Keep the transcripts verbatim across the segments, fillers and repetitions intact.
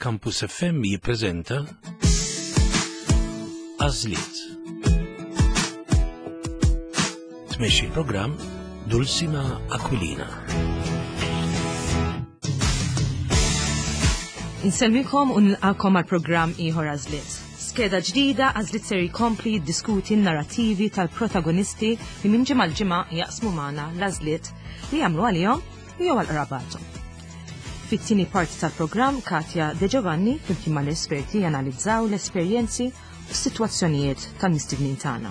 Campus F M jippreżenta Għażliet. Tmexxi l-programm Dulcima Aquilina. Insellmikom u nilqakom għal programm ieħor Għażliet. Skeda ġdida, Għażliet ser jkompli jiddiskuti n-narrativi tal-protagonisti li minn ġimgħa l-ġimgħa jaqsmu magħna l-għażliet li jagħmlu għalihom u jew għal qrabathom. Fit-tieni parti tal-programm, Katja De Giovanni flimkien mal-esperti janalizzaw l-esperjenzi u s-sitwazzjonijiet tal-mistednin tagħna.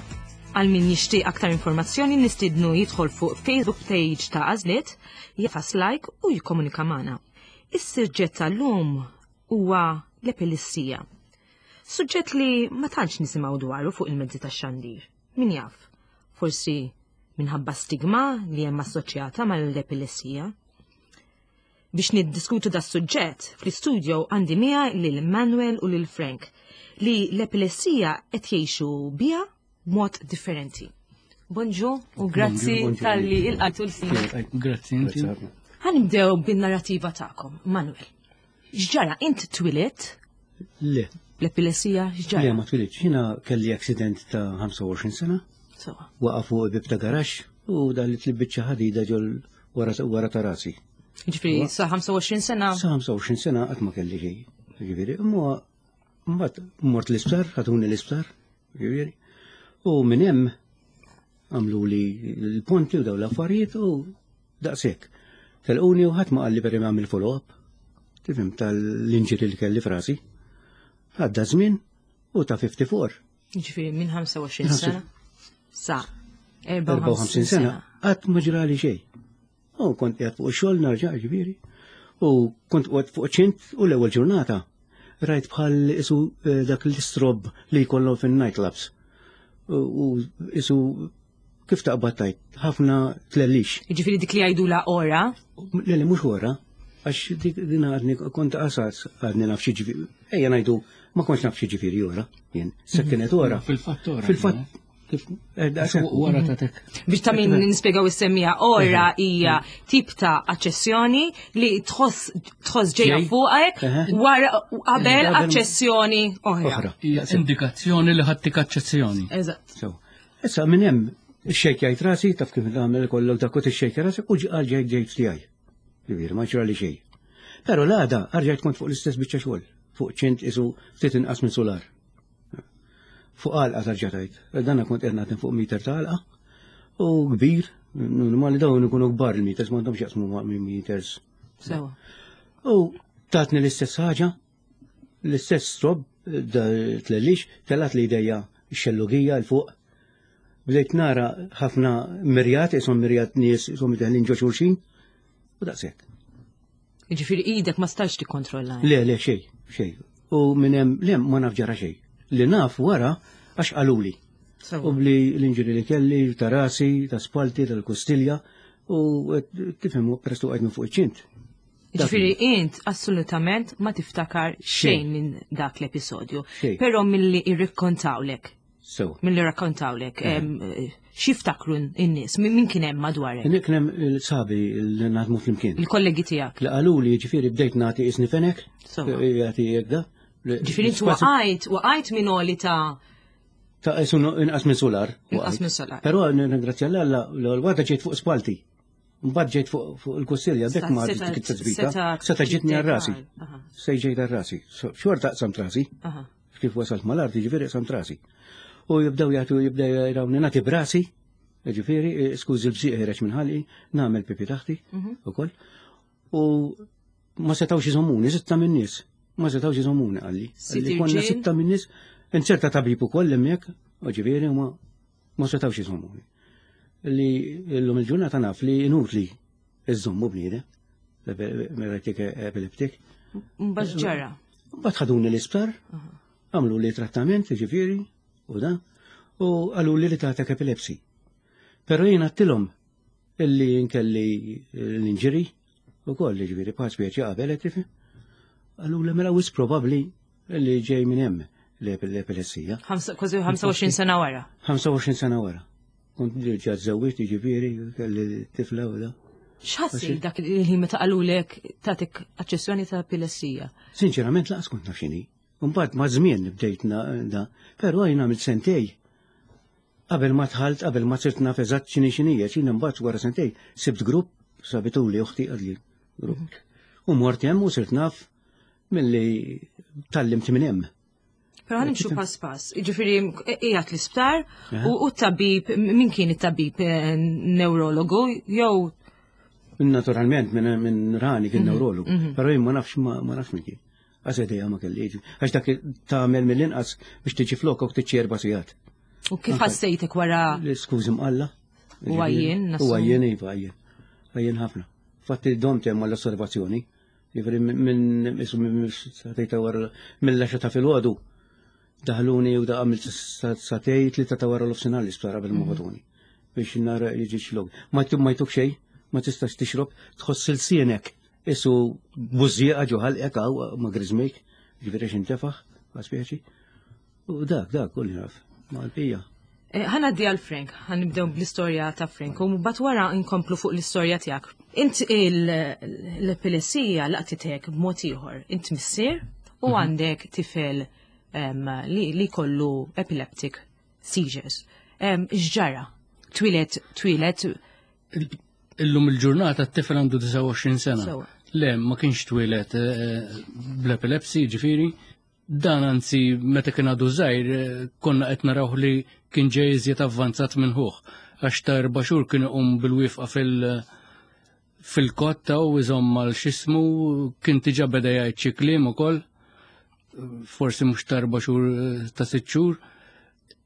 Għal min jixtieq aktar informazzjoni, nistiednu jidħol fuq Facebook page ta' Għażliet, jagħfas like u jikkomunika magħna. Is-suġġett tal-lum huwa l-epilessija. Suġġett li ma tantx nisimgħu dwaru fuq il-mezzi tax-xandir. Min jaf, forsi minħabba stigma li hemm assoċjata mal-epilessija. Biex niddiskutu da suġġett, fl-istudio għandi miegħi lil Manuel u lil Frank li l-epilessija qed jgħixu biha b'mod differenti. Bonġu u grazzi Bonġu, bonġu. talli lqajtu l-sin. Grazzi inti. Ħa nibdew bin-narrativa tagħkom, Manuel. X'ġara, int twilidt Le, l-epilessija, x'ġara? Le, ma twilidtx. Jiena kelli accident ta' ħamsa u għoxrin sena, Sewa. waqa fuq bib ta' garaxx u daħlet biċċa ħadida ġol wara wara ta' rasi. Ġifieri sa ħamsa u għoxrin sena. Sa ħamsa u għoxrin sena qatt ma kelli xejn. Ġifieri, imma mbagħad mort l-isptar, ħaduni l-isptar, ġifieri. U minn hemm għamlu li l-ponti u daw l-affarijiet u daqshekk. Telquni u ħadd ma qalli per għamil follow-up. Tifhem, tal-injury li kelli f'rasi. Għadda żmien u ta' ħamsa u ħamsin. Ġifieri minn ħamsa u għoxrin sena sa erbgħa u ħamsin sena qatt ma ġrali xejn. U kont qiegħed fuq ix-xogħol narġa', ġifieri. U kont qiegħed fuq ċint u l-ewwel ġurnata rajt bħal isu eh, dak l-strobe li jkollhom fin-nightclubs. U u isu kif taqbad tajt, ħafna tlellix. Ġifieri dik li jgħidu la ora. Le, le, mhux ora, għax dik din għadni kont qasas għadni naf xi ġifieri. Ejja ngħidu ma kontx naf xi ġifieri ora, jien. Se kienet ora. Fil-fatt ora. Fil-fatt kif eh, daqshekk. Wara tatek. Biex ta' min nispjegaw is-semmija, ora hija tip ta' aċċessjoni li tħoss tħoss ġejja Ġej. fuqek Eħe. wara qabel Qabel- aċċessjoni oħra. Oħra. Hija indikazzjoni li ħattik aċċessjoni. Eżatt. So, issa minn hemm ixxejkjajt rasi, taf kif nagħmel kollok dak u tixxejkja rasi u ġqal ġejt ġejt tiegħi. Ġifieri ma ġrali xejn. Però l-għada rġajt kont fuq l-istess biċċa xogħol, fuq ċint isu ftit inqas minn solar. Fuq għalqa tarġa' tajt. Danna kont qed nagħti fuq meter ta' għalqa u kbir, normali dawn ikunu kbar il-meters, m'għandhomx jaqsmu ma' meters. Sewa. U tatni l-istess ħaġa, l-istess strobe, da tlellix, telat li idejja xellugija l-fuq. Bdejt nara ħafna mirjat, isom mirjat nies, isom deħlin ġo xulxin, u daqshekk. Ġifieri idek ma stajtx tikkontrolla. Le, le, xej, xej. U minn hemm, le, ma naf ġara xej. Li naf wara għax qaluli. U Sewa. bli l-injury li kelli, ta' rasi, ta' spalti, tal-kustilja, u tifhem, peress li għajt minn fuq iċ-ċint. Ġifieri int assolutament ma tiftakar xejn minn dak l-episodju. Xejn. Però milli irrikkontawlek, So, milli rakkontawlek, em, x'jiftakru n-nies, min min kien hemm madwarek, kien hemm il-sħabi li naħdmu flimkien. Il-kollegi tiegħek. Li qalu li ġifieri bdejt nagħti isni fenek, Sewa. jagħti jekda. Ġifieri int waqajt, waqajt minn oli ta' Ta' isu inqas minn solar. Inqas minn solar. Però nirringrazzja l-Alla, l-għada ġejt fuq spalti. Mbagħad ġejt fuq fuq il-kustilja, bekk ma Seta- dik it-tazbita. seta' Seta' ġitni għar-rasi. Aha. Sej ġejt għar-rasi. So, xorta qsamt rasi. Aha. Kif wasalt mal-art, ġifieri qsamt rasi. U jibdew jagħtu, jibdew jrawni nagħti brasi, ġifieri, eh, skużi, l-bżieq ħereġ minn ħalqi, nagħmel pipi taħti ukoll. U ma setawx iżommuni, sitta minn nies. Ma setawx iżommuni, qalli. Sitt Qalli konna irġiel? sitta minn nies, inserta tabib ukoll hemmhekk, u ġifieri ma ma setawx iżommuni. Li llum il-ġurnata naf li inutli iżommu bniedem, mela tik epileptik. Mbagħad ġara. Mbagħad ħaduni l-isptar, għamlu li trattament, ġifieri, u da, u qalu li li tatek epilepsi. Pero jien għedtilhom illi nkelli l-injury u koll, ġifieri, pa speċi qabel, qed tifhem. Qalu li mela wis probabbli li ġej minn hemm l-epilessija. Ħamsa- Kważi ħamsa u għoxrin sena wara. ħamsa u għoxrin sena wara. Kont diġà żewwiġt, ġifieri, kelli tifla u da. X'ħassejt dak il-ħin meta qalulek tagħtik aċċessjoni ta' epilessija? Sinċerament laqas kont naf x'inhi. Mbagħad ma' żmien bdejt da, però jien għamilt sentej. Qabel ma dħalt, qabel ma sirt naf eżatt x'inhi x'inhi, x'inhi mbagħad wara sentej sibt grupp sabituli uħti għadli grupp. U mort hemm u sirt naf milli tgħallimt minn hemm. Però ħa nimxu pass pass. Ġifieri qiegħed l-isptar u t-tabib, min kien it-tabib eh, neurologu jew Naturalment minn min rani kien neurologu, però jien ma nafx ma nafx min kien. Għax idea ma kelli. Għax dak tagħmel mill-inqas biex tiġi flok u tiġi erba' sigħat. U kif ħassejtek wara? Skużi mqalla. U għajjien, U għajjien, iva, għajjien. Għajjien ħafna. Fatti domt hemm għall-osservazzjoni. Jiġifieri minn minn sagħtejn ta' wara mill-għaxra ta' filgħodu. Daħluni u da għamilt sagħtejn tlieta ta' wara l-nofsinhar l-isptar qabel ma bagħtuni. Biex nara jiġi xlog. Ma jtuk xejn, ma tistax tixrob, tħoss ilsienek. Isu bużżieqa ġo ħalqek għaw ma griżmejk, ġifieri x'intefaħ, speċi. U dak, dak, kulli naf, ma l-pija. Eh, ħa ngħaddi għal Frank, ħa nibdew bl-istorja ta' Frank, u mbagħad wara nkomplu fuq l-istorja tiegħek. Int l-epilessija laqtitek b'mod ieħor. Int missier u mhm. għandek tifel li, li kollu epileptic seizures. X'ġara? Twieled, twieled. Illum il-ġurnata t-tifel għandu disgħa u għoxrin sena. Le, ma kienx twieled eh, bl-epilepsy, ġifieri. Dan anzi meta kien għadu żgħir eh, konna qed naraw li kien ġej iżjed avvanzat minn ħuh. Għax ta' erba' xhur kien iqum bil-wifqa fil- fil-kotta u iżomm mal xismu kien diġà beda jgħid xi kliem ukoll. Forsi mhux ta' erba' xhur eh, ta' sitt xhur.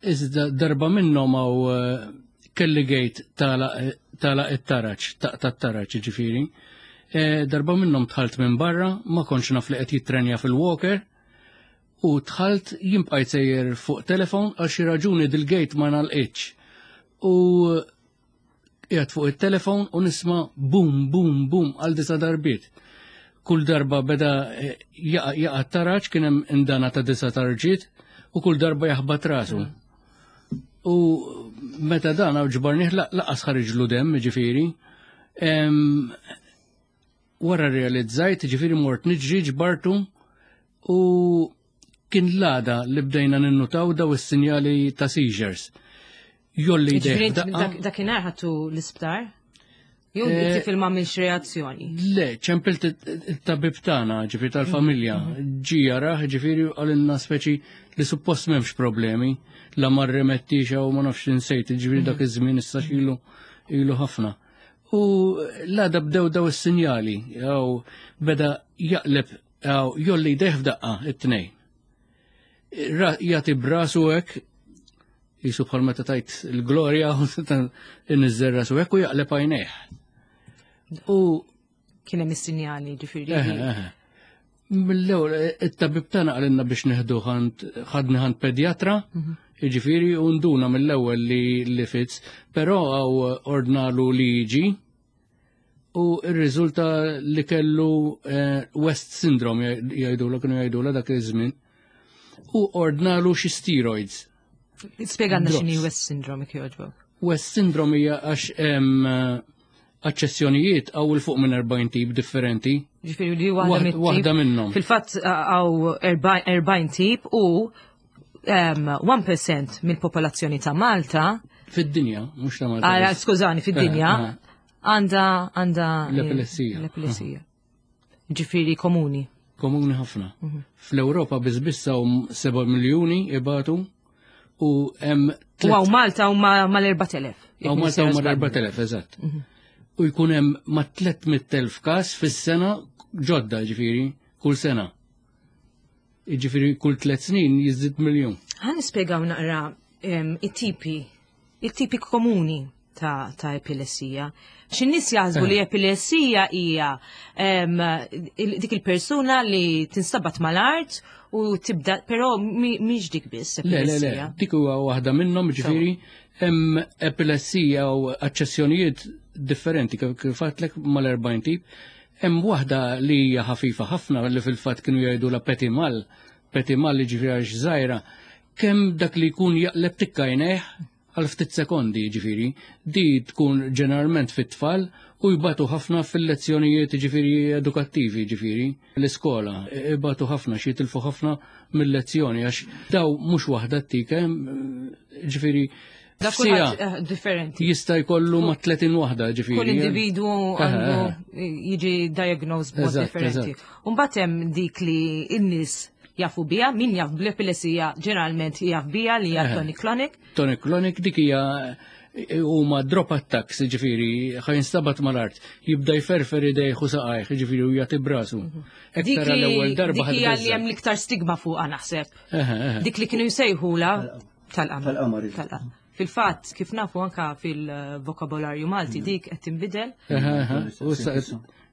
Iżda darba minnhom hawn eh, kelli gate tagħlaq it-taraġ, ta' taraġ ġifieri. Darba minnhom dħalt minn barra, ma kontx naf li qed jittrenja fil-walker, u dħalt jien bqajt sejjer fuq telefon għal xi raġuni dil-gate ma ngħalqitx. U qiegħed fuq it-telefon u nisma' bum bum bum għal disa' darbiet. Kull darba beda eh, jaqa' jaqa' taraġ kien hemm indana ta' disa' tarġiet u kull darba jaħbat rasu. U meta dan ġbarnih laqas ħariġlu dem, ġifieri. Em, Wara realizzajt, ġifieri mort niġri ġbartu u kien l-għada li bdejna ninnutaw daw is-sinjali ta' seizures. Jgħolli Ġifieri idejh daqqa. dak- Dakinhar ħadtu l-isptar? Jew Eh, it-tifel ma għamilx reazzjoni? Le, ċempilt it-tabib tagħna, ġifieri tal-familja, ġie jarah, ġifieri qalilna speċi li suppost m'hemmx problemi, la ma rremettix u ma nafx insejt, ġifieri dak iż-żmien issa ilu ilu ħafna. U l-għada bdew daw is-sinjali, jew beda jaqleb, jew jgħolli jdejh f'daqqa it-tnejn. Ra- Jagħti brasu hekk, jisu bħal meta tajt il-glorja, inniżżel rasu hekk u jaqleb għajnejh. U Kien hemm is-sinjali ġifieri. Eħe, eħe. Mill-ewwel it-tabib tagħna qalilna biex neħdu ħant ħadni ħand pedjatra, jiġifieri u nduna mill-ewwel li li fits, però hawn ordnalu li jiġi u r-riżulta li kellu eh, West syndrome jgħidulu kienu jgħidulu dak iż-żmien. U ordnalu xi steroids. Spjegalna Drops. x'inhi West syndrome jekk jogħġbok. West syndrome hija għax hemm eh, aċċessjonijiet għaw 'il fuq minn erbgħin tip differenti. Ġifieri li waħda Waħd- mit-tip. waħda minnhom. Fil-fatt hawn erbgħin tip u em, wieħed fil-mija mill-popolazzjoni ta' Malta, Fid-dinja, mhux ta' Malta. ah, biss. skużani, fid-dinja, Eh, eh. għandha għandha L-epilessija. L-epilessija. Ġifieri komuni. Komuni ħafna. Fl-Ewropa biss biss hawn seba' miljuni ibatu u hemm U hawn Malta u mal-erbat elef. Hawn Malta u mal-erbat elef, eżatt. U jkun hemm ma' tliet mitt elf każ fis-sena ġodda ġifieri, kull sena. Ġifieri kull tliet snin jiżdied miljun. Ħa nispjegaw naqra em, it-tipi, it-tipi komuni ta', ta' epilessija. Xi nies jaħsbu li epilessija hija em, il- dik il-persuna li tinstabat mal-art u tibda, però mi- mhix dik biss Le, le, le, epilessija. dik huwa waħda minnhom ġifieri hemm epilessija u aċċessjonijiet differenti kif kif għedtlek mal-erbgħin tip. Hemm waħda li hija ħafifa ħafna li fil-fatt kienu jgħidu la petit mal, petit mal li ġifieri għax żgħira, kemm dak li jkun jaqleb tikka għajnejh għal ftit sekondi ġifieri, di tkun ġeneralment fit-tfal U jbatu ħafna fil-lezzjonijiet ġifieri edukattivi, ġifieri l-iskola, ibatu ħafna, xi jitilfu ħafna mill-lezzjoni għax daw mhux waħda t-tik, ġifieri Da f'siegħa kulħadd eh, differenti. jista' jkollu ma' tletin waħda ġifieri. Kull individwu għandu Eħe, jiġi diagnosed b'mod Eżatt, differenti. eżatt. Umbagħad hemm dik li n-nies jafu biha, min jaf bl-epilessija ġeneralment jaf biha li hija Eħe. tonic clonic. Tonic clonic dik hija huma drop attacks, ġifieri ħa jinstabat mal-art, jibda jferfer idejh u saqajh, ġifieri u jagħti brasu. Dik Ektar l-ewwel li darba dik hija li ħad hemm l-iktar stigma fuqha naħseb. Eħe, eħe. Dik li kienu jsejħula tal-qamar. Tal-qamar, iva. Tal-qamar. Fil-fatt, kif nafu anka fil-vokabolarju Malti dik qed tinbidel. Eħe, eħe. U issa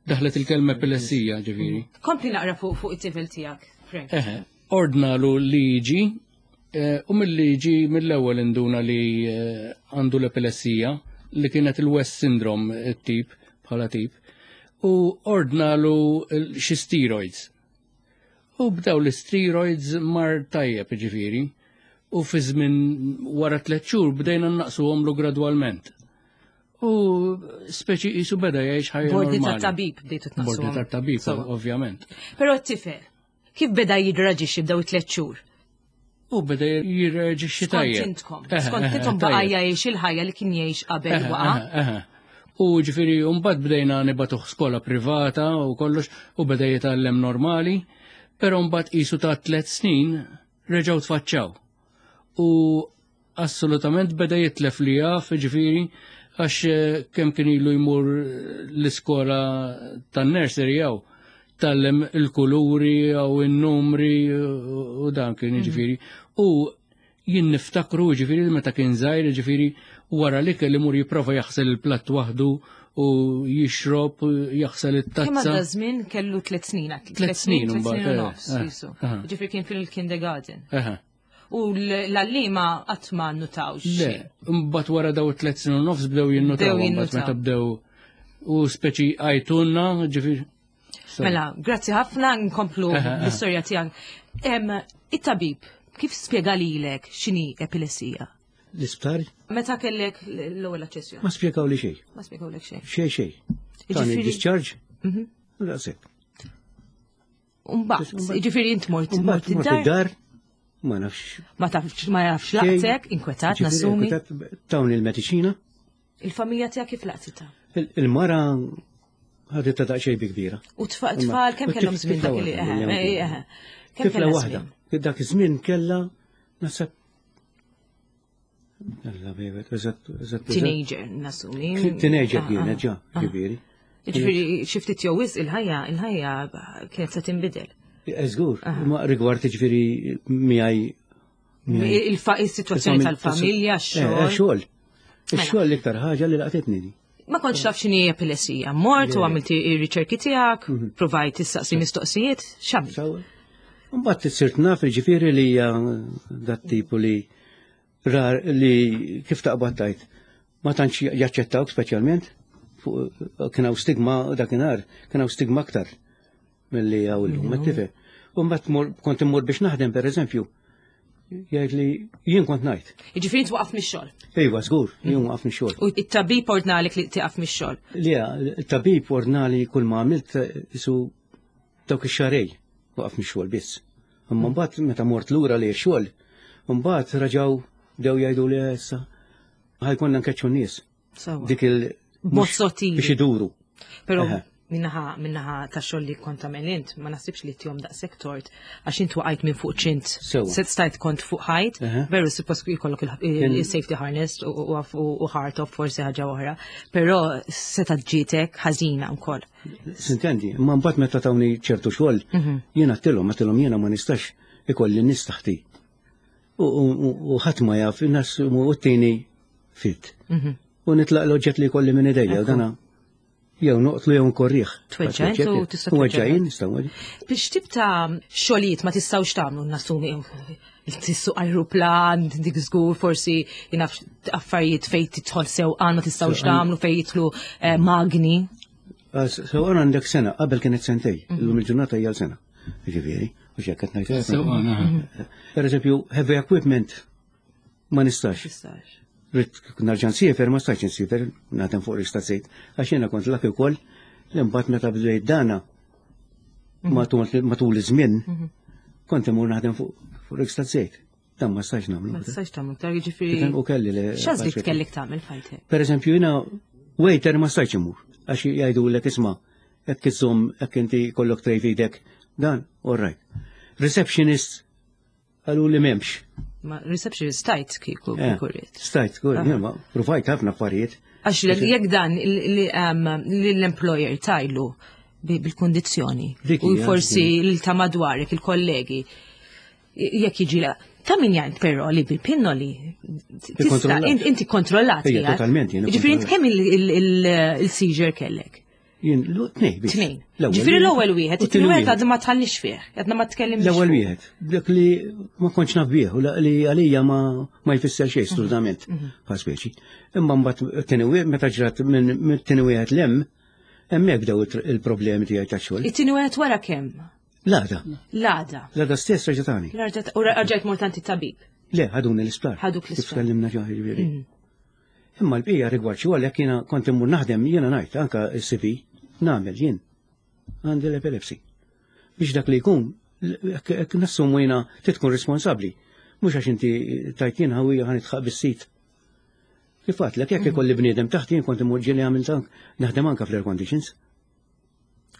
daħlet il-kelma epilessija, ġifieri. Kompli naqra fuq fuq it-tifel tiegħek, Frank. Eħe, ordnalu liġi eh, u mill-liġi mill-ewwel induna li eh, għandu l-epilessija li kienet il-West Syndrome it-tip bħala tip u ordnalu l- xi steroids. U bdew l-steroids mar tajjeb ġifieri u fi żmien wara tliet xhur bdejna naqsuhomlu gradwalment. U speċi qisu beda jgħix ħajja B'ordni normali. tat-tabib bdejtu tnaqsuhom. B'ordni tat-tabib, Sewa. ovvjament. Però t-tifel, kif beda jirreaġixxi b'daw it-tliet xhur? U beda jirreġixxi Skont tajjeb. intkom. Eħe, Skont eħe, intkom baqa' tajjeb. jgħix il-ħajja li kien jgħix qabel Eħe, waqa'. eħe, eħe. U ġifieri, mbagħad bdejna nibagħtuh skola privata u kollox u beda jitgħallem normali, però mbagħad qisu ta' tliet snin reġgħu tfaċċaw. U assolutament beda jitlef li jaf, ġifieri, għax eh, kemm kien ilu jmur l-iskola tan-nursery jew tgħallem il-kuluri jew in-numri u dan kien ġifieri. U jien niftakru ġifieri meta kien żgħir ġifieri wara li kelli mur jipprova jaħsel il-platt waħdu u jixrob, jaħsel Kemm it-tazza. għadda żmien kellu tliet snin, Tliet snin tliet snin u mbagħad, eh, nofs, eh, qisu. eh. Ġifieri kien fil-kindergarten. Eħe. U l-għalliema qatt ma nnutawx. Le, mbagħad wara daw it-tliet snin u nofs bdew jinnutaw, Bdew mbagħad jinnutaw. meta bdew u speċi għajtunna, ġifieri. Sorry. Mela, grazzi ħafna, nkomplu Eħe, eħe. l-istorja tiegħek. Em, It-tabib, kif spjega lilek x'inhi epilessija? L-isptar Meta kellek l-ewwel aċċessjoni? ma spjegaw li xejn. Ma spjegawlek xejn. Xejn xejn. Tani Jiġifieri- discharge. Daqshekk. Mbagħad, jiġifieri int mort mort Mbagħad mort id-dar, id-dar, ma nafx. ma tafx ma jafx xejn. laqtek, inkwetat, Ġifieri, nassumi. inkwetat, Tawni il-mediċina. Il-familja tiegħek kif laqtitha? Il- Il-mara ħadet ta' daqsxejn bi kbira. U tfa- tfal kemm U kellhom tif- żmien tifla dak li waħda, eħe, kellha eh, eħe. Kemm Tifla kellha waħda. żmien? Dak iż-żmien kellha naħseb Alla bejbet, eżatt, eżatt. eżatt. Teenager, nassumi. Teenager Ah, kienet ah, ġa, ah. ġifieri. Ġifieri xi ftit jew wisq il-ħajja, il-ħajja kienet se tinbidel. Żgur, ma rigward ġifieri miegħi miegħi. Il-fa- Il-sitwazzjoni tal-familja, Eh, eh, x-xogħol. Xogħol. Ix-xogħol l-iktar ħaġa li laqtitni. di. Ma kontx taf x'inhi epilessija. Mort u għamilti ir-riċerki tiegħek, provajt tistaqsi mistoqsijiet, x'għamilt? Sewwa. Mbagħad sirt naf ġifieri li hija dat tipu li rar li kif taqbad tajt. Ma tantx jaċċettawk speċjalment fuq kien hawn stigma dakinhar, kien hawn stigma aktar milli hawn illum, ma tifhem. U mbagħad mor- kont immur biex naħdem pereżempju. Jgħid li jien kont ngħid. Jiġifieri twaqaf mix-xogħol. Ejwa, żgur, jien waqaf mix-xogħol. U it-tabib ordnalek li tieqaf mix-xogħol. Le, il-tabib ordnali kull ma għamilt isu dawk ix-xarej waqaf mix-xogħol biss. Imma mbagħad meta mort lura li x-xogħol, mbagħad raġaw bdew jgħidu li issa ħajkonna nkeċċu n-nies. Sewwa. Dik il B'mod sottili. biex iduru. Però Eħe. minnaħa minnaħa ta' xogħol li kont tagħmel int, ma naħsibx li tihom daqshekk tort għax int waqajt minn fuq ċint. Sewwa. Se stajt kont fuq ħajt, Eħe. veru suppost jkollok Kien- il-safety harness u- u u- u hard top forsi ħaġa oħra, però seta' ġietek ħażina wkoll. Sintendi, imma mbagħad meta tawni ċertu xogħol, Mhm. jiena għedtilhom, għedtilhom jiena ma nistax ikolli n-nies taħti. U- U u ħadd ma jaf, in-nies u t-tieni fit. Mhm. U nitlaq l-oġġett li jkolli minn idejja, u dana jew noqtlu jew nkorriħ. Tweġġa' int u tista' U tweġġa' weġġajin, nista' nweġġa'. Biex tip ta' xogħlijiet ma tistgħux tagħmlu nassumi tissu ajruplan, dik żgur forsi jinaf affarijiet fejn tidħol sewqan ma tistgħux tagħmlu fejn jidħlu eh, magni. Sewqan għandek sena, qabel kienet sentej, illum il-ġurnata hija sena. Ġifieri, u x'hekk qed ngħid. Sewqan, aha. Per eżempju, heavy equipment ma nistax. Tistax. Ridt nerġa' nsiefer, ma stajtx nsiefer, naħdem fuq rig taż-żejt, għax jiena kont lucky wkoll li mbagħad meta bdejt dana matul matul iż-żmien kont imur naħdem fuq fuq rig taż-żejt. Dan ma stajtx nagħmlu. Ma tistax tagħmel iktar jiġifieri. U kelli li. X'għażliet kellek tagħmel f'ħajtek? Per eżempju, jiena waiter ma stajtx imur, għax jgħidu l isma' jekk iżżomm jekk inti kollok tray f'idek, dan, all right. Receptionist qalu li m'hemmx. Ma receptionist stajt kieku Eh, kieku rrid. Stajt, kur, jien ma provajt ħafna affarijiet. Għax l- jekk dan li um, li l-employer tajlu bi- bil-kondizjoni Dik u hija, forsi l ta' madwarek, il-kollegi, jekk jiġi la. Ta' min jgħid però li bil-pinnoli tista' Ikkontrollat. int- inti kontrollat Ejja, qiegħed. totalment, jiena Ġifieri int kontrollat. kemm il- il- il- il-seizure kellek? Jien, l- tnej, biss. Tnejn. L-ewwel Ġifieri l-ewwel wieħed, u it-tieni t-tieni wieħed għadu ma tħallix fih, għadna ma tkellimx. L-ewwel fuq. wieħed, dak li ma kontx naf bih, u la- li għalija ma ma jfisser xejn assolutament bħal speċi. Imma mbagħad it-tieni wieħed meta ġrat minn minn tieni wieħed lem, hemmhekk bdew it- il-problemi tiegħi tax-xogħol. It-tieni wieħed wara kemm? L-għada, L-għada. l-għada stess reġatani. L-arġa- U rġajt mort għand it-tabib. Le, ħaduni l-isptar. Ħaduk Kif l-isptar. tkellimna ġa ġifieri. Imma l-bqija rigward xogħol jekk jiena kont immur naħdem jiena ngħid anka s-C V nagħmel jien għandi l-epilepsy. Biex dak li jkun, jekk jekk nassumu jiena tkun responsabbli. Mhux għax inti tajt jien ħawija ħa nidħaq bis-sit. Kif għedtlek, jekk ikolli bniedem taħt jien kont immur ġieli għamilt ank naħdem anka fl-air conditions.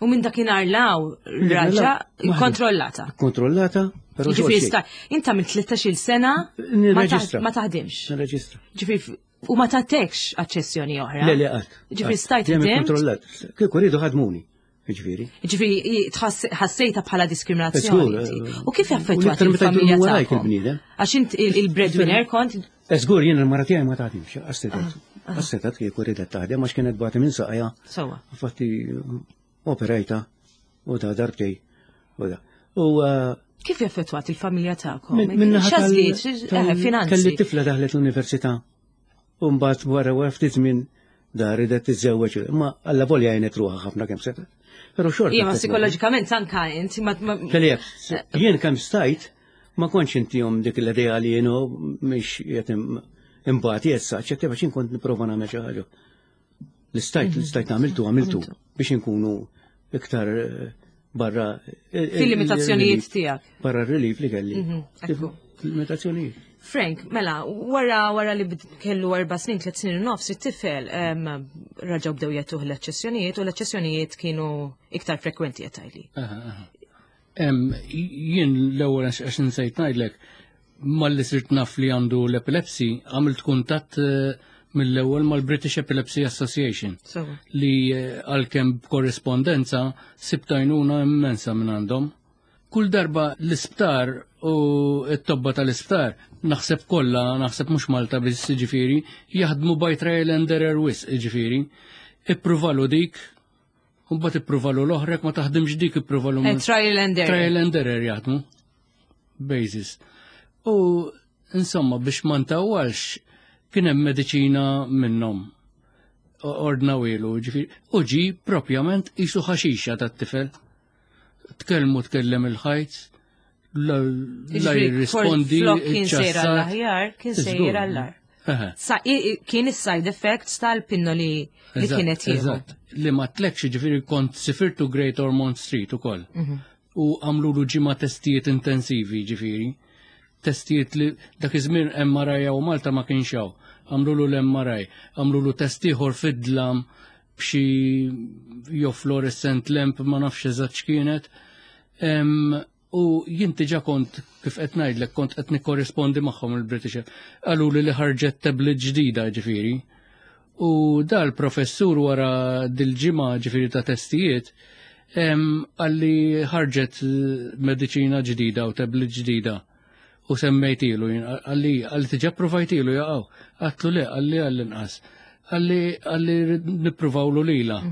U minn dakinhar law raġa Waħda. kontrollata. Kontrollata, però Ġifieri xogħol sta, inta minn tlettax-il sena ma taħ- Nirreġistra. ma taħdimx. Nirreġistra. Ġifieri u ma tatekx aċċessjoni oħra. Le, le, qatt. Ġifieri stajt Dejjem ħdimt? kontrollat. Kieku rridu ħadmuni. Ġifieri. Ġifieri tħass- ħassejta bħala diskriminazzjoni. Żgur, inti. eh, U kif u affettwat l-iktar meta il-familja jkunu warajk tagħkom? il-bniedem. Għax int il- il-breadwinner kont Żgur jien il-mara tiegħi ma taħdimx, għastetat. Għastetat kieku ridet taħdem għax kienet bati minn saqajja. Sewwa. Infatti operajta u da darbtej. U da. U eh, Kif jaffettwat il-familja tagħkom? minn min naħa tal- X'għażliet, tal- eh, finanzi. Kelli tifla daħlet l-università. U mbagħad wara wara ftit żmien da ridet tiżżewweġ. Ma alla volja għenet ruħha ħafna kemm setgħet. Però xorta. Ija, ma affettwat. psikoloġikament anka inti ma ma- Kelli jekk, jien kemm stajt, ma kontx intihom dik l-idea li jienu mhix qed imbati issa, ċetti biex kont nipprova nagħmel xi ħaġa. L-istajt, l-istajt għamiltu, għamiltu biex inkunu iktar eh, barra. Fil-limitazzjonijiet tiegħek. Barra r-relief li kelli. Mhm, ekku. Limitazzjonijiet. Frank, mela, wara wara li bd- kellu erba' snin, tliet snin u nofs, it-tifel em, raġaw bdew jagħtuh l-aċċessjonijiet u l-aċċessjonijiet kienu iktar frekwenti qed tgħidli. Aha, aha. Em, Jien l-ewwel għax għax insejt ngħidlek, malli sirt naf li għandu l-epilepsy, għamilt kuntatt eh, mill-ewwel mal-British Epilepsy Association Sewwa. li eh, għalkemm b'korrispondenza sibt għajnuna immensa minn għandhom. Kull darba l-isptar u t-tobba tal-isptar, naħseb kollha, naħseb mhux Malta biss ġifieri, jaħdmu by trial and error wisq ġifieri. Ippruvalu dik, u mbagħad ippruvalu l-oħra, jekk ma taħdimx dik ippruvalu Eh, trial and error. Trial and error jaħdmu. Basis. U insomma biex ma ntawwalx kien hemm mediċina minnhom. Ordnawielu, ġifieri, u ġi propjament qisu ħaxixa tat-tifel. Tkellmu tkellem il-ħajt, la la Ġifieri, jirrispondi. Flok kien sejra iċċassat. l-aħjar, kien Żgur. sejra l-agħar. Eħe. Sa, i- i- kien is-side effects tal-pinnoli li Eżatt, kienet jieħu. Eżatt. Li ma tlekx ġifieri kont sifirtu Great Ormond Street ukoll. Mhm. U għamlu ġimgħa testijiet intensivi ġifieri. Testijiet li dak iż-żmien M R I u Malta ma kienx hawn. Għamlu l-M R I, għamlu test ieħor fid-dlam b'xi jew fluorescent lamp, ma nafx eżatt x'kienet. Em, U jien diġà kont kif qed ngħidlek kont qed nikkorrispondi magħhom il-British. Qalu li li ħarġet tablet ġdida ġifieri. U dal-professur wara dil-ġimgħa ġifieri ta' testijiet em, qalli ħarġet eh, mediċina ġdida u tablet ġdida. U semmejtilu, jien, qalli qalli diġà provajtilu jaqgħu. Għedtlu le, qalli għall-inqas. Qalli qalli nippruvawlu lila.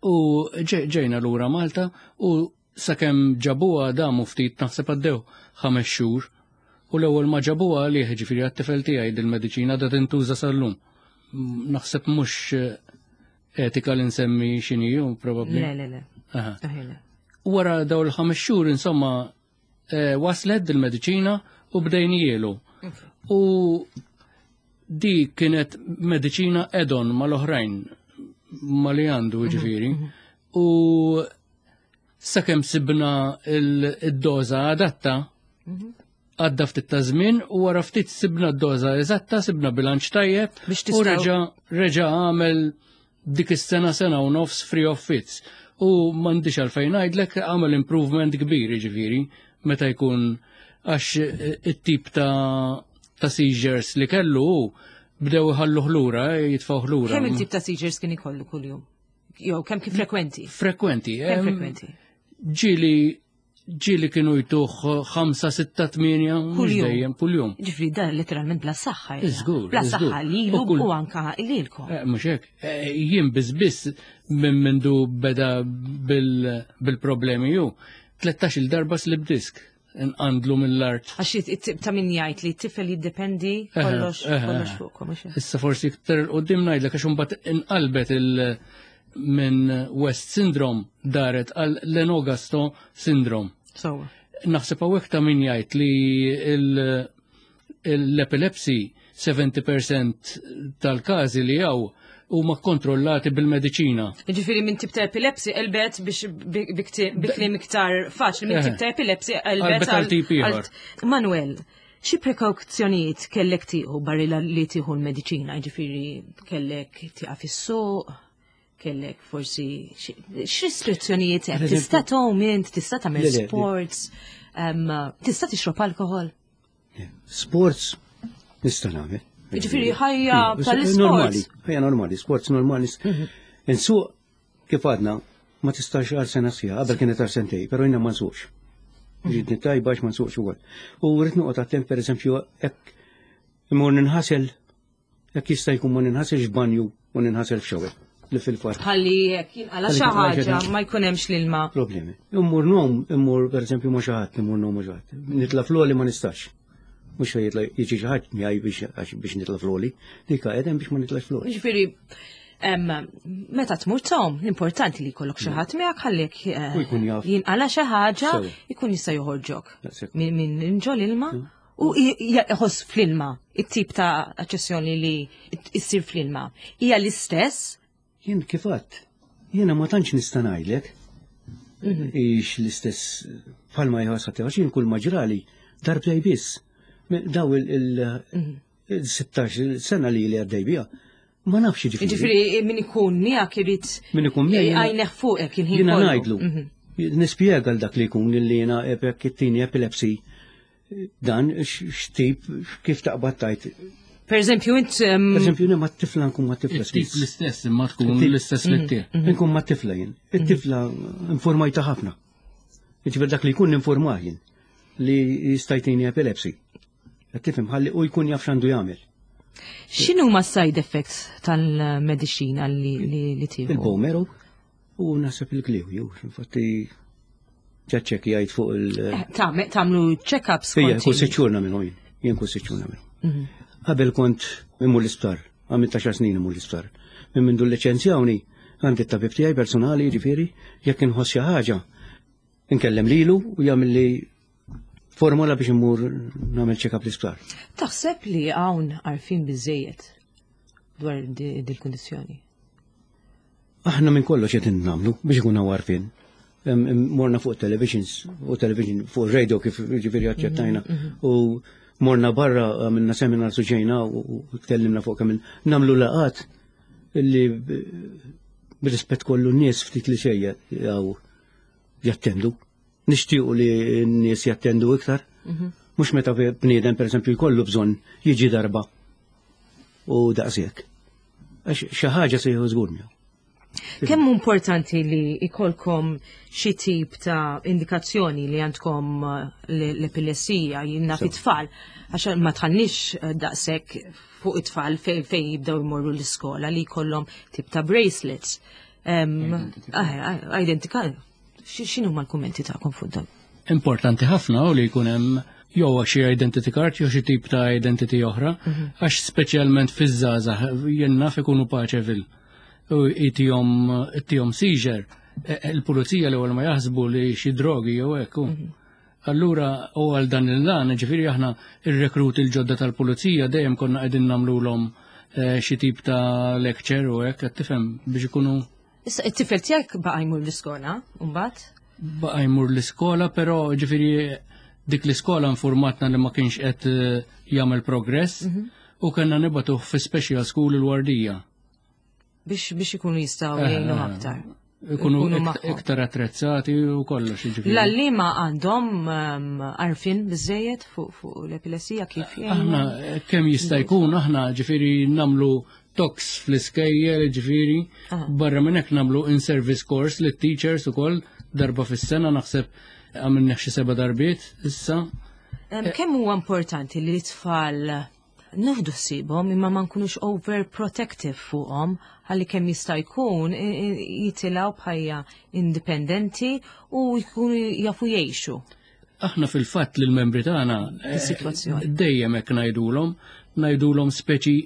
U ġe- ġejna lura Malta u sakemm ġabuha damu ftit, naħseb għaddew ħames xhur. U l-ewwel ma ġabuha għalih ġifieri għat-tifel tiegħi dil-mediċina da tintuża sal-lum. M- Naħseb mhux eh, etika li nsemmi x'inhi probabbli. Le, le, le. Aha. Aħjar le. Wara daw il-ħames xhur insomma eh, waslet dil-mediċina u bdejnielu. U Di kienet mediċina add-on mal-oħrajn ma li għandu ġifieri. U sakemm sibna il-doża adatta, għadda ftit ta' żmien u wara ftit sibna d-doża eżatta, sibna bilanċ tajjeb u reġa' reġa' għamel dik is-sena sena u nofs free of fits. U m'għandix għalfejn ngħidlek għamel improvement kbir ġifieri meta jkun għax it-tip ta' ta' seizures li kellu bdew iħallu lura, jitfgħu lura. Kemm il-tip ta' seizures kien ikollu kuljum? Jew kemm kif frekwenti? Frekwenti. Kemm frekwenti? Ġieli ġieli kienu jtuh ħamsa, sitta, tmienja, mhux dejjem kuljum. Ġifieri dan letteralment bla saħħa. Żgur. Bla saħħa lilu u anka lilkom. Mhux hekk. Jien biss biss minn mindu beda bil-problemi ju. tlettax-il darba slip disk nqandlu mill-art. Għax ta' min jgħid li t-tifel jiddependi kollox kollox fuqkom. Issa forsi iktar qudiem ngħidlek għax imbagħad inqalbet il- minn West Syndrome daret għal Lennox-Gastaut Syndrome. So. Naħseb hawnhekk ta' min jgħid li l-epilepsy sebgħin fil-mija tal-każi li hawn huma kontrollati bil-mediċina. Ġifieri minn tip ta' epilepsy elbet biex bi kliem iktar faċli, minn tip ta' epilepsy elbet għal tip ieħor. Manuel, xi prekawzjonijiet kellek tieħu barra li tieħu l-mediċina, ġifieri kellek tieqaf is-suq, kellek forsi x'restrizzjonijiet hemm? Tista' tgħum int, tista' tagħmel sports, tista' tixrob alkohol? Sports nista' nagħmel. Ġifieri ħajja tal-sports. Normali, ħajja normali, sports normali. Insuq kif għadna ma tistax għal sena sħiħa, qabel kienet għal sentej, però jiena ma nsuqx. Ġidni tajba għax ma nsuqx ukoll. U rrid noqgħod attent, pereżempju, hekk imur ninħasel, hekk jista' jkun ma ninħaselx f'banju u ninħasel f'xower li fil-fatt. Ħalli jekk jinqala xi ħaġa ma jkun hemmx l-ilma. Problemi. Immur ngħum, immur pereżempju ma xi ħadd, immur ngħum ma xi ħadd. Nitla' fl-għoli ma nistax. Mhux jitla' jiġi xi ħadd miegħi biex biex nitla' fl-għoli. Dik qegħdem biex ma nitlax fl-għoli. Ġifieri meta tmur tgħum, l-importanti li jkollok xi ħadd miegħek ħallek jinqala xi ħaġa jkun jista' joħorġok minn ġol ilma u jħoss fl-ilma, it-tip ta' aċċessjoni li issir fl-ilma. Hija l-istess? Jien kif għedt, jiena ma tantx nista' ngħidlek. Ix l-istess bħalma jħoss ħadd, għax jien kull ma ġrali darbtej biss. Daw il-sittax sena li li għaddej bija, ma nafx ġifieri. Ġifieri min ikun miegħek irid min ikun miegħi għajneħ fuqek il-ħin. Jiena ngħidlu. Nispjega l dak li jkun li jiena kittini epilepsy dan x'tip kif taqbad tajt. Per eżempju, int. Per eżempju, jien ma tifla nkun ma tifla. Tip l-istess, imma tkun l-istess li tiegħek. Nkun ma tifla jien. It-tifla informajta ħafna. Ġifieri dak li jkun informah jien li jista' jtini epilepsy. Qed tifhem, ħalli u jkun jaf x'għandu jagħmel. X'inhu ma side effects tal-mediċina li li tieħu? Il-bone marrow u naħseb il-kliew, jew infatti ċeċċek jgħid fuq il- Tagħmlu check-ups? Ija, kull sitt xhur nagħmilhom jien. Jien kull sitt xhur nagħmilhom. Qabel kont immur l-isptar, għamilt għaxar snin immur l-isptar. Minn mindu liċenzjawni, għandi t-tabib tiegħi personali, ġifieri, jekk inħoss xi ħaġa, inkellem lilu u jagħmel li formola biex immur nagħmel check-up l-isptar. Taħseb li hawn għarfien biżejjed dwar dil-kundizzjoni? Aħna minn kollox qed nagħmlu biex ikun hawn għarfien. Morna fuq televisions, u television, fuq radio kif ġifieri aċċettajna. U morna barra, għamilna seminar su ġejna u tkellimna fuq kemm nagħmlu laqat illi b'rispett kollu n-nies ftit li xejja jew jattendu. Nixtiequ li n-nies jattendu iktar. Mhux meta bniedem pereżempju jkollu bżonn jiġi darba u daqshekk. Għax xi ħaġa se jieħu żgur miegħu. Kemm importanti li ikolkom xi tip ta' indikazzjoni li għandkom l-epilessija jinna fit-tfal, għax ma tħannix daqshekk fuq it-tfal fejn fej jibdew jmorru l-iskola li jkollhom tip ta' bracelets. Identika. X'inhu ma l-kummenti tagħkom fuq dan? Importanti ħafna u li jkun hemm jew xi identity card jew xi tip ta' identity oħra, għax speċjalment fiż-żgħażagħ jien naf ikunu Paceville u itihom itihom seizure, il-pulizija l-ewwel ma jaħsbu li xi drogi jew hekk. Allura u għal dan il-lan, ġifieri aħna ir-rekruti il-ġodda tal-pulizija dejjem konna qegħdin nagħmluhom eh, xi tip ta' lecture u hekk, qed tifhem, biex ikunu. Issa it-tifel tiegħek baqa' jmur l-iskola, mbagħad? Baqa' jmur l-iskola, però ġifieri dik l-iskola informatna li ma kienx qed eh, jagħmel progress mhm. u kellna nibagħtuh fi special school il-Wardija. Biex biex ikunu jistgħu eh, jgħinu aktar. Ikunu iktar attrezzati u kollox. L-għalliema għandhom ehm, għarfien biżejjed fuq l-epilessija kif jgħinu? Aħna kemm jista' jkun aħna ġifieri nagħmlu talks fl-iskejjel, ġifieri, barra minn hekk nagħmlu in-service course lit teachers ukoll darba fis-sena, naħseb għamilna xi seba' darbiet issa. Kemm huwa importanti li t-tfal nieħdu ħsiebhom imma ma nkunux overprotective fuqhom, ħalli kemm jista' jkun jitilgħu bħajja indipendenti u jkunu jafu jgħixu? Aħna fil-fatt li l-membri tagħna eh, dejjem hekk ngħidulhom, ngħidulhom speċi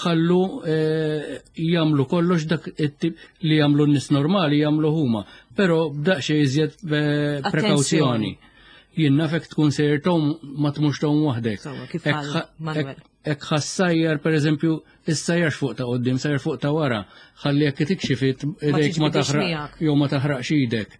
ħallu eh, jagħmlu kollox dak it-tip li jagħmlu n-nies normali jagħmlu huma, però b'daqsxejn iżjed eh, prekawzjoni. Jien nafek tkun sejjer tgħum, ma tmurx tgħum waħdek. Hekk ħa ssajjar, per eżempju, issajjarx fuq ta' qoddim, sajjar fuq ta' wara, ħalli jekk tikxifit idejk ma taħraq jew ma taħraqx idek.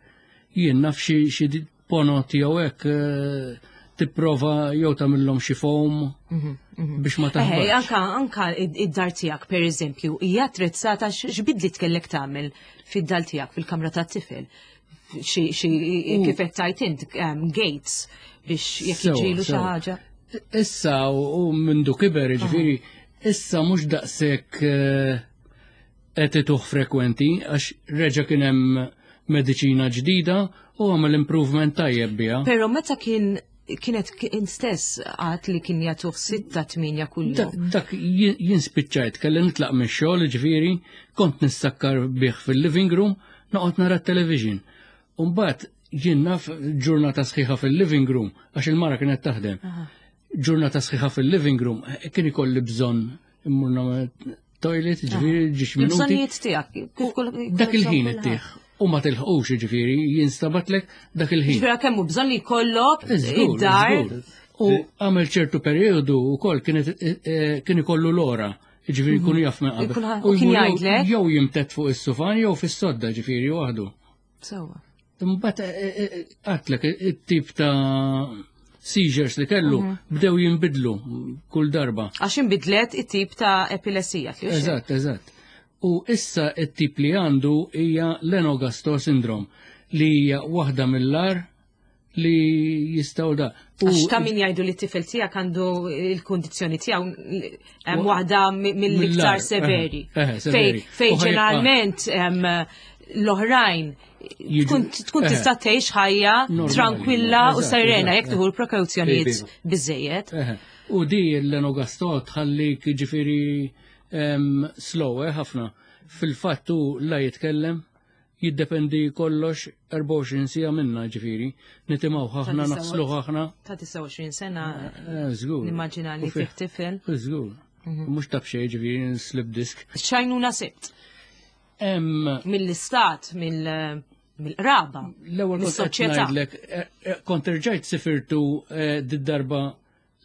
Jien naf xi ponot jew hekk eh, tipprova jew tagħmilhom xi foam mhm, mhm. biex ma taħraqx. Anka anka id-dar tiegħek, per eżempju, hija attrezzata? X'bidliet kellek tagħmel fid-dar tiegħek, fil-kamra tat-tifel? Xi kif qed tgħid int, um, gates biex jekk jiġilu xi ħaġa. Issa u mindu kiber, ġifieri, issa mhux daqshekk eh, qed ituh frekwenti għax reġa' kien hemm mediċina ġdida u għamel improvement tajjeb biha. Però meta kien kienet kien stess għat li kien jagħtuh sitta tminja kull Dak, dak jien spiċċajt kelli nitlaq mix-xogħol, ġifieri kont nissakkar bih fil-living room, noqgħod nara t-television. Umbagħad jien naf ġurnata sħiħa fil-living room, għax il-mara kienet taħdem. Ġurnata sħiħa fil-living room, kien ikolli bżonn immur nagħmel toilet, ġifieri ġiex minuti. Il-bżonnijiet tiegħek. Dak il-ħin ittih. U ma tilħqux, ġifieri, jinstabatlek dak il-ħin. Ġifieri kemm hu bżonn li jkollok id-dar. U għamel ċertu periodu u kol kien ikollu l-ora. Ġifieri jkunu jaf minn qabel. U kien jgħidlek? Jew jimtedd fuq is-sufan jew fis-sodda, ġifieri waħdu. Sewwa. Imbagħad eh, eh, għatlek it-tip ta' seizures li kellu mhm. bdew jinbidlu kull darba. Għax inbidlet it-tip ta' epilessija. Eżatt, eżatt. U issa it-tip li għandu hija Lennox-Gastaut syndrome, li hija waħda mill-agħar li jistgħu da. Għax ta' min jgħidu li t-tifel tiegħek għandu il-kundizzjoni tiegħu hemm waħda mill-iktar severi. Fej ġeneralment l-oħrajn tkun tkun tista' tgħix ħajja tranquilla u serena jekk tieħu l-prekawzjonijiet biżejjed. U di l-Lennox-Gastaut tħallik ġifieri slow eh, ħafna. Fil-fatt hu la jitkellem, jiddependi kollox erbgħa u għoxrin siegħa minna, ġifieri. Nitimgħu ħafna, naħslu ħafna. Ta' disgħa u għoxrin sena. Eh, żgur. Nimmaġina li fih tifel. Żgur. Mhm. Mhux ta' b'xejn, ġifieri, slip disc. X'għajnuna sibt? Mill-istat, mill-qraba, L-ewwel kont qed mis-soċjetà. Ngħidlek, eh, eh, kont irġajt sifirtu eh, did-darba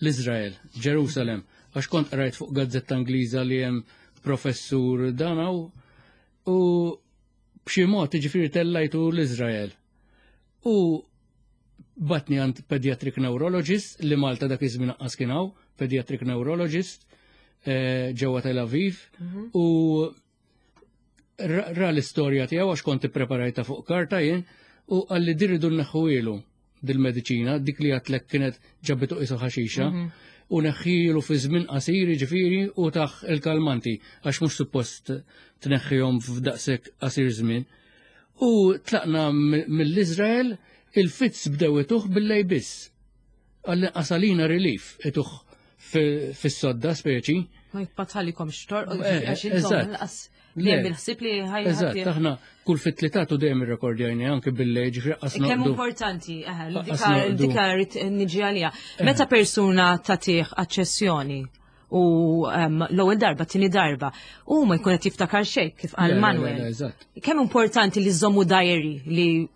l-Izrael, Ġerusalem, għax kont qrajt fuq gazzetta Ingliża li hemm professur danaw u b'xi mod ġifieri tellajtu l-Izrael. U bagħatni għand pediatric neurologist li Malta dak iż-żmien anqas kien hawn, pediatric neurologist eh, ġewwa Tel Aviv, u ra ra l-istorja tiegħu, għax kont ippreparajta fuq karta jien, u qalli din irridu nneħħuhielu dil-mediċina, dik li għedtlek kienet ġabitu qisu ħaxixa, u neħħilu fi żmien qasir, ġifieri, u tah il-kalmanti għax mhux suppost tneħħihom f'daqshekk qasir żmien. U tlaqna mill-Izrael, il-fits bdew ituh bil-lejl biss. Għalli qasalina relief ituh fis-sodda speċi. Ma jitpatħalikom xtor, Eh, għax intom eżatt. lanqas Le. li hemm il-ħsieb li ħaj. Eżatt, aħna kull fit li tagħtu dejjem irrekordjajni anke bil-lejl, ġifieri qas Kemm noqdu. importanti, eh, Qas dika noqdu. dika rrid niġi għalija. Meta persuna tagħtih aċċessjoni u em, l-ewwel darba, tieni darba, u ma jkun qed jiftakar xejn, kif Le, qal le, Manuel. le, Eżatt. Kemm importanti li żommu diary li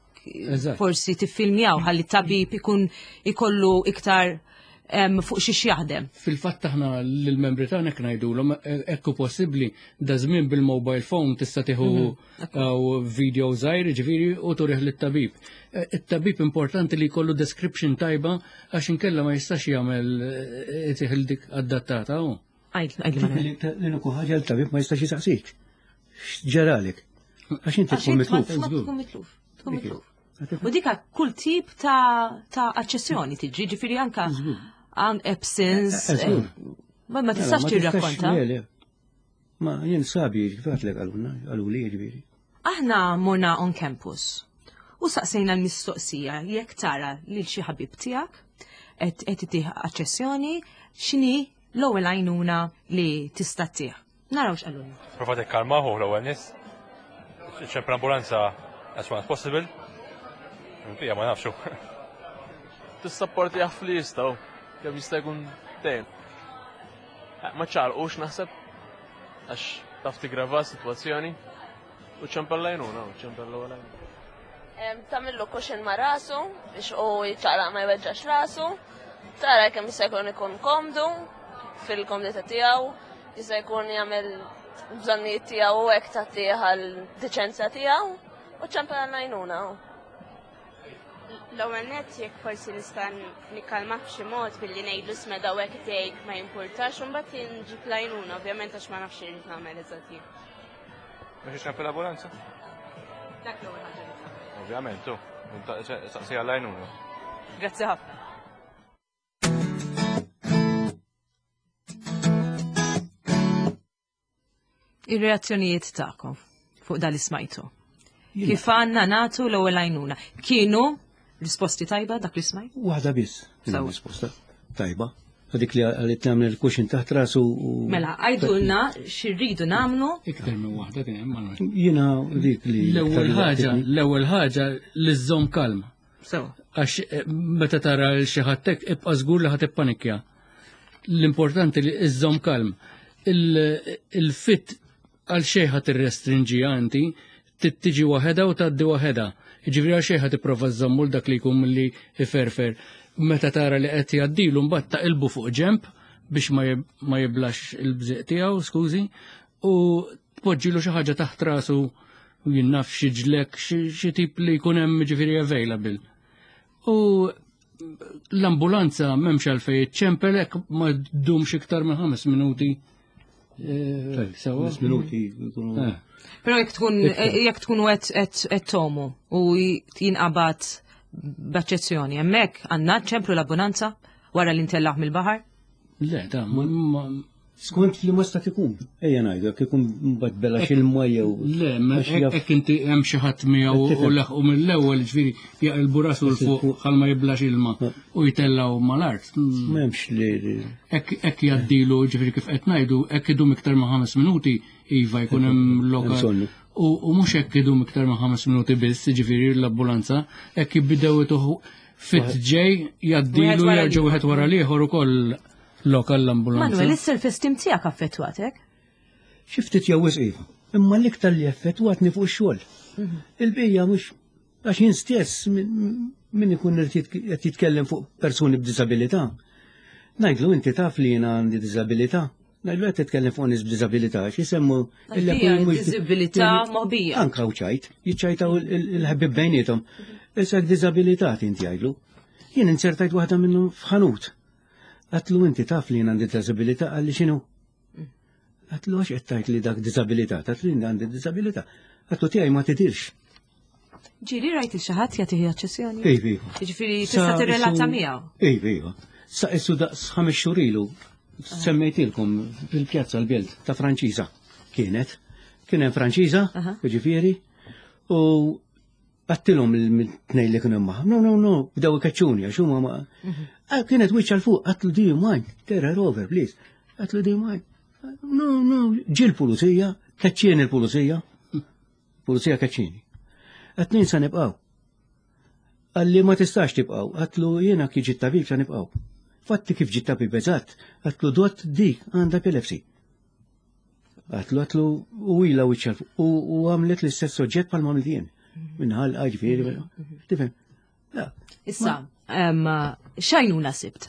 forsi tiffilmjaw ħalli tabib ikun ikollu iktar fuq xiex jaħdem. Fil-fatt aħna lill-membri tagħna hekk ngħidulhom hekk hu possibbli da żmien bil-mobile phone tista' tieħu mhm. video żgħir ġifieri u turih lit-tabib. E, it-tabib importanti li jkollu description tajba għax inkella ma jistax jagħmel itih dik adattata hu. L-uniku ħaġa l-tabib ma jistax jisaqsik. X'ġaralek? Għax inti tkun mitluf. Tkun mitluf. Tkun mitluf. U dika kull tip ta' aċċessjoni tiġi, ġifieri anka għan absence. Eh, eh, ma ma tistax tirrakkonta. Ma jien sabi, ġifieri għaluna, għaluli ġifieri. Aħna morna on campus u saqsejna l-mistoqsija jekk tara lil xi ħabib tiegħek qed itih aċċessjoni x'inhi l-ewwel għajnuna li tista' ttih. Naraw x'qalulna. Prova tikkalmahu l-ewwel nies. Ċempel ambulanza as soon as possible. Ija ma nafxu. Tissapporti jaf li jistgħu kemm jista' jkun dejjem. Eh, ma ċarqux naħseb għax taf tigrava s-sitwazzjoni u ċempel lajnuna, u ċempel l-ewwel għajnuna. Tagħmillu cushion ma' rasu biex u jiċċaqlaq ma jweġġax rasu. Tara kemm jista' jkun ikun komdu fil-komdità tiegħu, jista' jkun jagħmel bżonnijiet tiegħu u hekk tagħtih għal deċenza tiegħu u ċempel għajnuna. L-ewwel nett jekk forsi nista' nikkalmah b'xi mod billi ngħidlu smeda u hekk tgħid ma jimpurtax u mbagħad nġib l-għajnuna ovvjament għax ma nafx irid nagħmel eżatt jien. Biex iċempel l-ambulanza? Dak l-ewwel ħaġa li tagħmel. Ovvjament, tu. Saqsija l-għajnuna. Grazzi ħafna. Ir-reazzjonijiet tagħkom fuq dal smajtu. Kif għandna nagħtu l-ewwel għajnuna? Kienu risposti tajba dak li smajt? Waħda biss. Sewa. Risposta tajba. Dik li għalit nagħmel il-cushion taħt rasu u. Mela, għajdulna x'irridu nagħmlu. Iktar minn waħda kien hemm Manuel. Jiena dik li. L-ewwel ħaġa, l-ewwel ħaġa li żżomm kalma. Sewa. Għax eh, meta tara l xi ħadd hekk ibqa' żgur li ħadd ippanikja. L-importanti li iżżomm kalm. Il-fit għal xejn ħadd irrestrinġiha inti, tiġi waħedha u tgħaddi waħedha. Jiġifieri għal xejn ħadd tipprova żżommu l dak li jkun milli iferfer. Meta tara li qed jgħaddilu mbagħad taqilbu fuq ġemp biex ma jib- ma jiblax il-bżieq tiegħu, skużi, u tpoġġilu xi ħaġa taħt rasu jien naf xi ġlek, xi tip li jkun hemm ġifieri available. U l-ambulanza m'hemmx għalfejn iċċempel hekk ma ddumx iktar minn ħames minuti. Eh, Sewa. Ħames minuti. jkunu- Eh. Però jekk tkun jekk tkunu qed qed tomu u jinqabad b'aċċezzjoni, hemmhekk għandna ċemplu l-abbonanza wara li ntellaħ mill-baħar. Le, ta' ma- ma- Skont li ma stat ikun. Ejja ngħidu, jekk ikun mbagħad bela x'ilma jew. Le, ma għax jaf- hekk inti hemm xi ħadd miegħu u Tifhem. laħqu mill-ewwel ġifieri jaqilbu rasu l fuq ħal ma jiblax ilma u jtellgħu mal-art. Mm. M'hemmx li. li- Hekk hekk jgħaddilu ġifieri kif qed ngħidu, hekk idum iktar ma' ħames minuti iva jkun hemm lokal. bżonnu. U u mhux hekk idum iktar ma' ħames minuti biss, ġifieri l-ambulanza, hekk jibdew ituħu fit ġej Wieħed jgħaddilu wara jerġgħu wieħed wara l-ieħor ukoll lokal l-ambulanza. Manuel, is-self-esteem tiegħek affettwatek? Xi ftit jew wisq iva. Imma l-iktar li effettwatni fuq ix-xogħol. Il-bija mhux għax jien stess min min ikun irid qed jitkellem fuq persuni b'diżabilità. Ngħidlu inti taf li jiena għandi diżabilità. Ngħidlu qed titkellem fuq nies b'diżabilità għax jisemmu Hija diżabilità moħbija. Anka u ċajt, jiċċajtaw il-ħabib bejnietom. Issa diżabilità inti jgħidlu. Jien insertajt waħda minnhom f'ħanut. Għatlu inti taf li jien għandi diżabilità għalli x'inhu? Għatlu għax qed tgħid li dak diżabilità, għatlu jien għandi diżabilità. Għatlu tiegħi ma tidirx. Ġieli rajt il xi ħadd jagħtih aċċessjoni? Iva, iva. Jiġifieri tista' tirrelata miegħu. Iva, iva. Sa issu daqs ħames xhur ilu semmejtilkom fil-pjazza l-belt ta' Franċiża kienet. Kien hemm Franċiża, Aha. jiġifieri, u għattilhom il-tnejn li kienu magħhom. No, no, no, bdew ikeċċuni għax huma ma. Ah, Kienet wiċċa l fuq, għatlu do you mind? Turn her over, please. Għatlu do you mind? No, no, ġi l-pulizija, keċċieni l-pulizija. Pulizija keċċieni. Għatnin sa nibqaw. Għalli ma tistax tibqaw, għatlu jiena kif ġie tabib sa nibqaw. Fatti kif ġie tabib eżatt, għatlu dot dik għandha epilepsy. Għatlu għatlu u ila wiċċa u u għamlet l-istess soġġett bħal ma għamilt jien. minn ħalqa ġifieri. Tifhem? Issa, x'għajnuna sibt?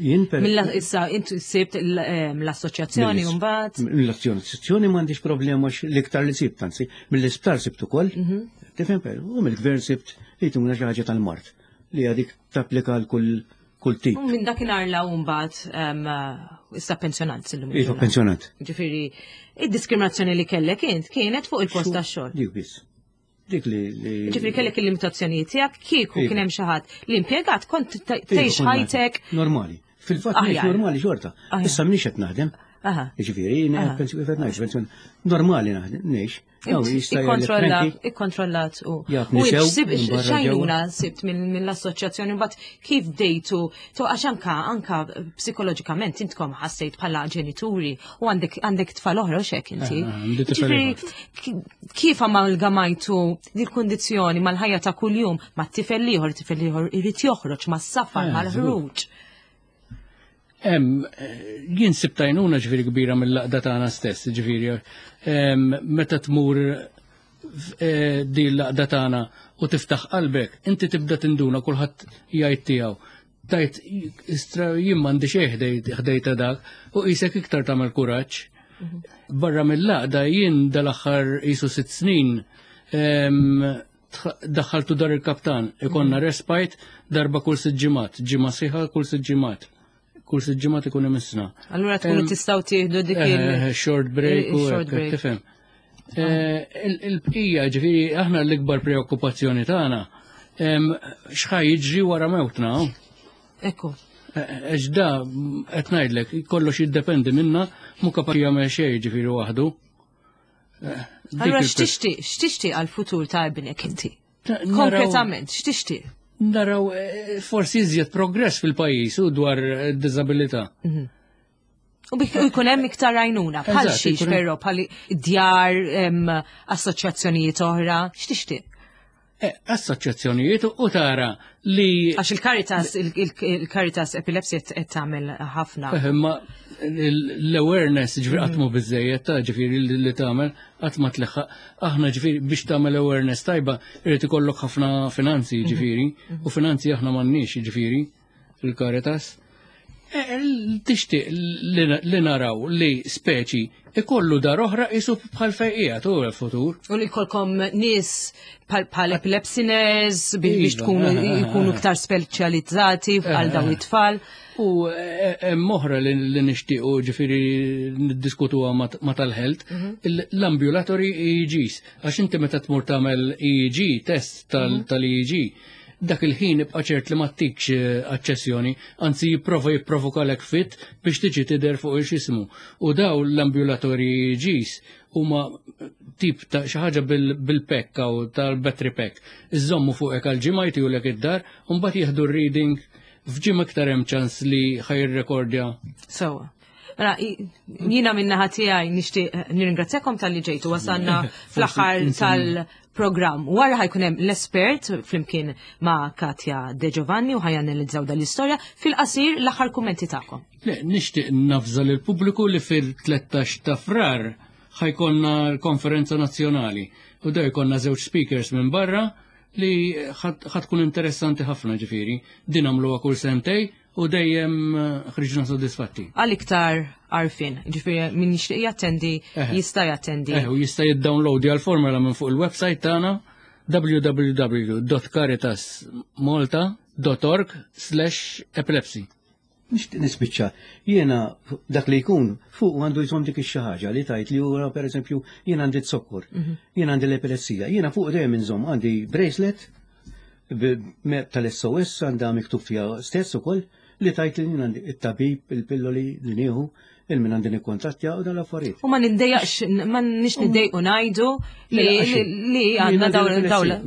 Jien per. Issa inti sibt l-assoċjazzjoni mbagħad. Mill-assoċjazzjoni m'għandix problema l-iktar li sibt, anzi, mill-isptar sibt ukoll. Tifhem per, u mill-gvern sibt li jtuna xi ħaġa tal-mard li għadik tapplika għal kull kull tip. U minn dakinhar la mbagħad issa pensjonant illum. Iva, pensjonant. Ġifieri, id-diskriminazzjoni li kellek int kienet fuq il-post tax-xogħol. Dik biss. Dik li. Ġifieri kellek il-limitazzjonijiet tiegħek kieku kien hemm xi ħadd li impjegat kont tgħix ħajtek. Normali. Fil-fatt ngħix normali xorta. Issa m'iniex qed naħdem. Ġifieri, pensjonat normali naħdem, ngħix. Ikkontrollat u. X'għajnuna sibt mill-assoċjazzjoni mbagħad kif bdejtu to għax anka anka psikoloġikament intkom ħassejt bħala ġenituri u għandek għandek tfal oħra u x'hekk inti. Kif amalgamajtu dil-kundizzjoni mal-ħajja ta' kuljum mat-tifel ieħor, tifel ieħor irid joħroġ mas-safar mal-ħruġ. Jien sibt għajnuna ġifieri kbira mill-laqda tagħna stess, ġifieri meta tmur din l-laqda tagħna u tiftaħ qalbek, inti tibda tinduna kulħadd jgħid tiegħu. Tajt jien m'għandi xejn ħdejta dak u qisek iktar tagħmel kuraġġ. Barra mill-laqda jien dal-aħħar qisu sitt snin daħħaltu dar il-kaptan, ikonna respite darba kull sitt ġimgħat, ġimgħa sħiħa kull sitt ġimgħat. Kull sitt ġimgħat ikun imissna. Allura tkunu tistgħu tieħdu dik il-short break u tifhem. Il-bqija ġifieri aħna l-ikbar preokkupazzjoni tagħna x'ħa jiġri wara mewtna. Ekku. Għax da qed ngħidlek kollox jiddependi minna mhu kapaċi jagħmel xejn ġifieri waħdu. Allura x'tixtieq x'tixtieq għall-futur ta' ibnek inti? Konkretament x'tixtieq? Naraw forsi iżjed progress fil-pajjiż u dwar d-diżabilità. U jkun hemm iktar għajnuna, bħal xiex però bħal djar, assoċjazzjonijiet oħra, x'tixtieq? Assoċjazzjonijiet u tara li. Għax il-Caritas, il-Caritas Epilepsy qed tagħmel ħafna. Ma l-awareness ġifieri qatt mhu biżejjed ta' ġifieri li tagħmel qatt ma tleħħaq. Aħna ġifieri biex tagħmel awareness tajba irid ikollok ħafna finanzi ġifieri u finanzi aħna m'għandniex ġifieri fil-Caritas. Tixtieq li naraw li speċi ikollu dar oħra qisu bħal fejqija tu l-futur. U li jkollkom nies bħal epilepsy nurse biex tkunu jkunu iktar speċjalizzati għal dawn it-tfal. U hemm oħra li nixtiequ ġifieri niddiskutuha ma' tal-health, l-ambulatory E E Gs. Għax inti meta tmur tagħmel E E G, test tal-E E G, dak il-ħin ibqa' ċert li ma ttikx aċċessjoni, anzi jipprova jipprovokalek fit biex tiġi tidher fuq ix-ismu. U daw l-ambulatory Gs huma tip ta' xi ħaġa bil-pekk jew tal-battery pack. Iżommu fuqek għal ġimgħa jtihulek id-dar u mbagħad jieħdu r-reading f'ġimgħa iktar hemm ċans li ħajrrekordja. Sewwa. Mela, jiena min-naħa tiegħi nixtieq nirringrazzjakom talli ġejtu wasalna fl-aħħar tal-programm. Wara ħajkun hemm l-espert flimkien ma' Katja De Giovanni u ħajanalizzaw dan l-istorja fil-qasir l-aħħar kummenti tagħkom. Le, nixtieq nafża lill-pubbliku li fil-tlettax ta' Frar ħajkonna l-konferenza nazzjonali u da jkollna żewġ speakers minn barra li ħatkun interessanti ħafna ġifieri. Din għamluha kull sentej u dejjem ħriġna soddisfatti. Għal iktar għarfien, ġifieri min jixtieq jattendi jista' jattendi. Eh, u jista' jiddownloadja l-formula minn fuq il-website tagħna w w w dot caritas malta dot org slash epilepsy. Nixtieq nispiċċa, jiena dak li jkun fuq għandu jżomm dik ix-xi ħaġa li tajt li huwa pereżempju jien għandi z-zokkor, jien għandi l-epilessija, jiena fuq dejjem inżomm għandi bracelet tal-S O S għandha miktub fiha stess ukoll li tajt li jien għandi it-tabib, il-pilloli li nieħu, il-min għandi nikkontattja u dan l-affarijiet. U ma nindejjaqx, ma nix niddejqu ngħidu li għandna dawn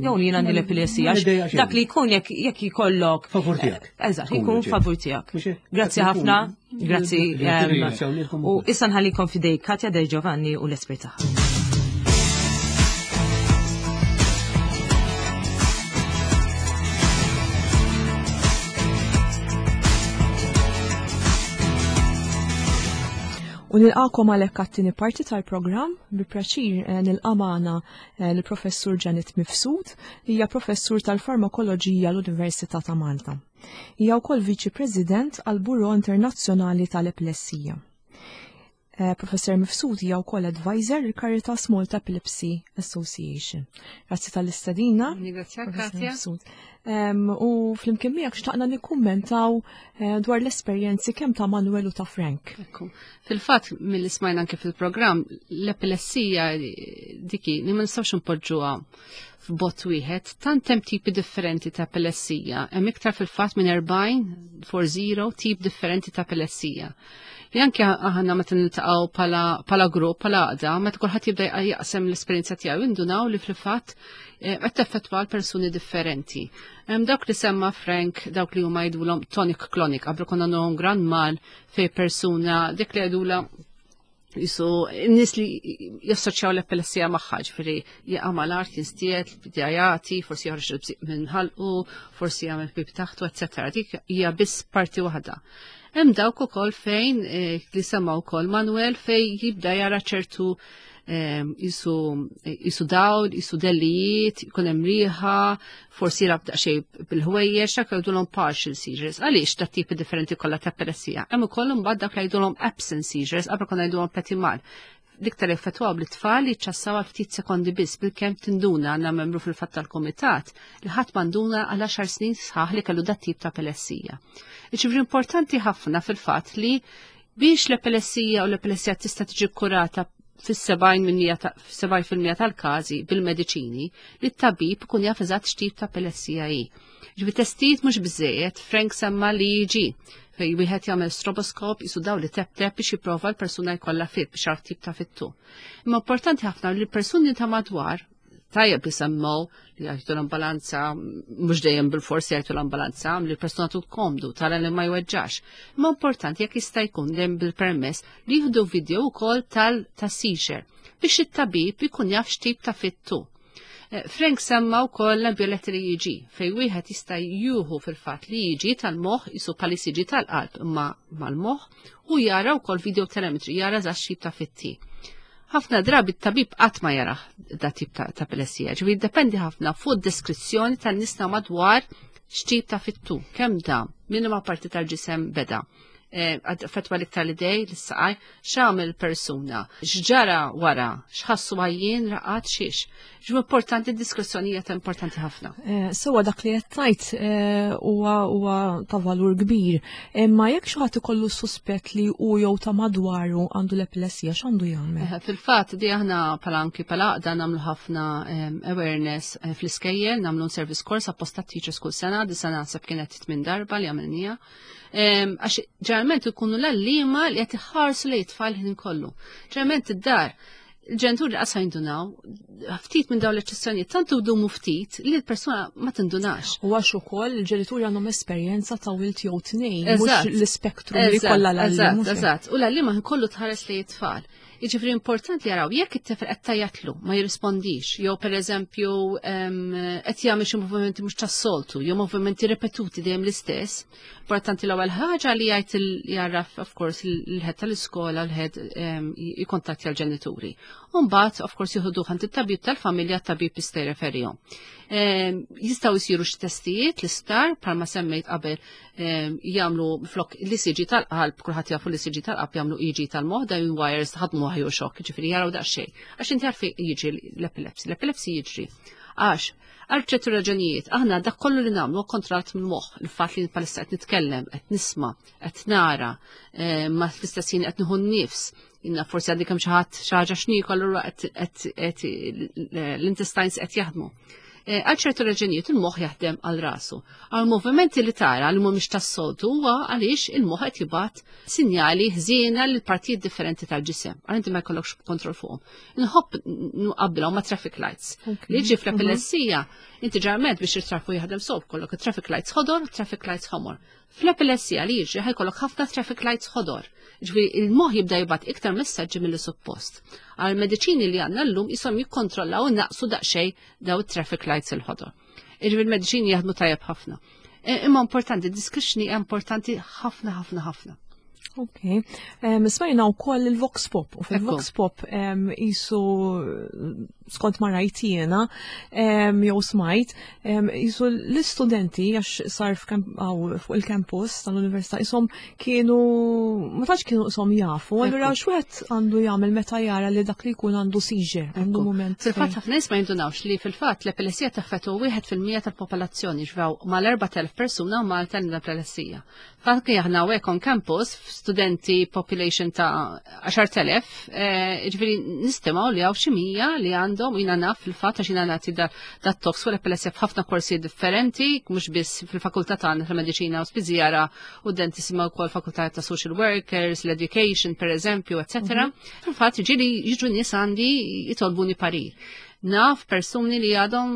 jew li jien għandi l-epilessija. Dak li jkun jekk jkollok. Favur tiegħek. Eżatt, jkun favur tiegħek. Grazzi ħafna, grazzi. U issa nħallikom f'idej Katja De Giovanni u l-espert tagħha. U nilqakom għalhekk għat-tieni parti tal-programm bi pjaċir eh, nilqa' magħna eh, l-Professur Janet Mifsud li hija professur tal-Farmakoloġija l-Università ta' Malta. Hija wkoll Viċi President għal Bureau Internazzjonali tal-Epilessija. Eh, Professor Mifsud hija wkoll advisor il Caritas Malta Epilepsy Association. Grazzi tal-istedina. Ringrazzjak, Professor Katja. Mifsud. Em, U flimkien miegħek xtaqna nikkummentaw eh, dwar l-esperjenzi kemm ta' Manuel u ta' Frank. Ekku. Fil-fatt, mill smajna anke fil-programm, l-epilessija diki li ma nistgħux npoġġuha f'bot wieħed, tant hemm tipi differenti ta' epilessija. Hemm iktar fil-fatt minn erbgħin, forty tip differenti ta' epilessija. Li anke aħna meta niltaqgħu pala, pala grupp, pala għaqda, meta kulħadd jibda jaqsem l-esperjenza tiegħu jindunaw li fil-fatt eh, qed teffettwa l persuni differenti. Hemm dawk li semma Frank, dawk li huma jgħidulhom tonic clonic, qabel konna nagħhom grand mal fej persuna dik li jgħidulha jisu n-nies li jassoċjaw l-epilessija magħha, ġifieri jaqa' mal-art jinstiet, bidjajati, forsi joħroġ il-bżieq minn ħalqu, forsi jagħmel pip taħtu, eċċetera. Dik hija biss parti waħda. Hemm dawk ukoll fejn eh, li semma wkoll Manuel fejn jibda jara ċertu eh, jisu jisu dawl, jisu dellijiet, jkun hemm riħa, forsi jilgħab daqsxejn bil-ħwejjeġ, dak jgħidulhom partial seizures. Għaliex dat tipi differenti kollha ta' epilessija? Hemm ukoll imbagħad dak li jgħidulhom absent seizures, qabel konna ngħidulhom petit mal. L-iktar effettwaw bl-tfal li ċassaw għal ftit sekondi biss bil-kemm tinduna. Għandna membru fil-fatt tal-komitat li ħadd manduna għal għaxar snin sħaħ li kellu dat tip ta' epilessija. Iġifieri importanti ħafna fil-fatt li biex l-epilessija u l-epilessija tista' tiġi kurata fis-sebgħin tal-każi bil-mediċini, li t-tabib ikun jaf eżatt x'tip ta' epilessija hi. Ġifieri testijiet mhux biżejjed, Frank semma li jiġi fej wieħed jagħmel stroboskop jisu daw li tep-tep biex jipprova l-persuna jkollha fit biex jaf tip ta' fittu. Imma importanti ħafna li l-persuni ta' madwar tajjeb li semmew li jgħidu l-ambulanza, mhux dejjem bil-forsi jgħidu l-ambulanza, li l-persuna tkun komdu, tara li ma jweġġax. Imma importanti jekk jista' jkun dejjem bil-permess li jieħdu video wkoll tal-seizure biex it-tabib ikun jaf x'tip ta' fittu. Eh, Frank semma wkoll l-ambjoletti li jiġi, fej wieħed jista' juhu fil-fatt li jiġi tal-moħħ jisu pali siġi tal-qalb imma mal-moħħ u jara wkoll video telemetry, jara eżatt x'tip ta' fitti. Ħafna drabi t-tabib qatt ma jarah da tip ta' ta' epilessija, ġifieri jiddependi ħafna fuq deskrizzjoni tan-nies ta' madwar x'tip ta' fittu, kemm dam, minn ma parti tal-ġisem beda. Eh, Fetwa l-iktar l-idej, l-saqaj, x'għamel persuna, x'ġara wara, x'ħassu għajjien, raqat, xiex. Ġu importanti, diskrezzjoni hija ta' importanti ħafna. Eh, Sewa dak li qed tgħid eh, huwa huwa ta' valur kbir. Imma jekk xi ħadd ikollu suspett li hu jew ta' madwaru għandu l-epilessija, x'għandu jagħmel? Eh, Fil-fatt, di aħna pala anki pala għaqda nagħmlu ħafna em, awareness eh, fl-iskejjel, nagħmlu service course apposta teachers kull sena, di sena naħseb kienet tmien darba li għamilnija. Em, Għax ġeneralment ikunu l-għalliema li qed iħarsu lejn tfal ħin kollu. Ġeneralment id-dar, il-ġenituri qasa jindunaw, ftit minn dawn l-eċċezzjonijiet tant idumu ftit li l-persuna ma tindunax. U għax ukoll il-ġenituri għandhom esperjenza ta' wild jew tnejn, mhux Eżatt. l-ispektrum li Eżatt, kollha l-għalliem. Eżatt, Mhux hekk? eżatt. U l-għalliema kollu tħares li tfal. Jiġifieri importanti jaraw jekk it-tifel qed tajatlu ma jirrispondix, jew pereżempju em, qed jagħmel xi movimenti mhux tas-soltu, jew movimenti ripetuti dejjem l-istess. Importanti l-ewwel ħaġa li jgħid il- jarraf of course il-head tal-iskola, l-head em, jikkontattja l-ġenituri. U mbagħad of course jieħdu għand it-tabib tal-familja, t-tabib jista' jreferihom. Em, Jistgħu jsiru xi testijiet l-isptar bħalma semmejt qabel, em, jagħmlu flok l-E C G tal-qalb, kulħadd jafu l-E C G tal-qalb, jagħmlu E E G tal-moħħ, da wires ħadmu ħaju xokk, ġifieri jaraw daqsxejn. Għax inti għarfi jiġri l-epilepsy, l-epilepsy jiġri. Għax għal ċertu raġunijiet, aħna dak kollu li nagħmlu kontrollat mill-moħħ, il-fatt li palissa qed nitkellem, qed nisma', qed nara, eh, ma fl-istess ħin qed nieħu n-nifs, inna forsi għandi kemm xi ħadd xi ħaġa x'niekol, allura qed qed- qed l-intestines qed jaħdmu. Eh, Għal ċertu raġunijiet il-moħħ jaħdem għal rasu. Għal movimenti li tara li mhumiex tas-soltu huwa għaliex il-moħħ qed jibgħat sinjali ħżiena lil partijiet differenti tal-ġisem. Għal inti ma jkollokx kontroll fuqhom. Nħobb nqabbilhom ma' traffic lights. Li jiġi fl-epilessija, inti ġeneralment biex il-traffiku jaħdem sob, kollok traffic lights ħodor, traffic lights ħomor. Fl-epilessija li jiġri ħa jkollok ħafna traffic lights ħodor. Ġifieri il-moħħ jibda jibgħat iktar messaġġi mill suppost. Għal mediċini li għandna llum jisom jikkontrollaw u naqsu daqsxejn daw traffic lights il-ħodor. Ġifieri il-mediċini jaħdmu tajjeb ħafna. E, Imma importanti, discretion hija importanti ħafna ħafna ħafna. Ok. Smajna wkoll il-Vox Pop, u fil-Vox Pop jisu skont ma rajt jiena jew smajt, jisu l-istudenti għax sar fuq il-campus tal-università jisom kienu ma tantx kienu jisom jafu, allura x'wieħed għandu jagħmel meta jara li dak li jkun għandu seizure, għandu moment. Fil-fatt ħafna nies ma jindunawx li fil-fatt l-epilessija taffettwa wieħed fil-mija tal-popolazzjoni, ġvaw mal-erbat elef persuna Malta l-epilessija. Fatt aħna hawnhekk on campus studenti population ta' għaxart elef, ġifieri nistimaw li hawn xi mija li għandhom, jiena naf fil-fatt għax jiena nagħti dat talks fuq l-epilessija f'ħafna korsi differenti, mhux biss fil-fakultà tagħna tal-mediċina u spiżjara u dentisti ma wkoll fakultà ta' social workers, l-education per eżempju, eccetera. Fil-fatt ġieli jiġu nies għandi jitolbuni parir. Naf persuni li għadhom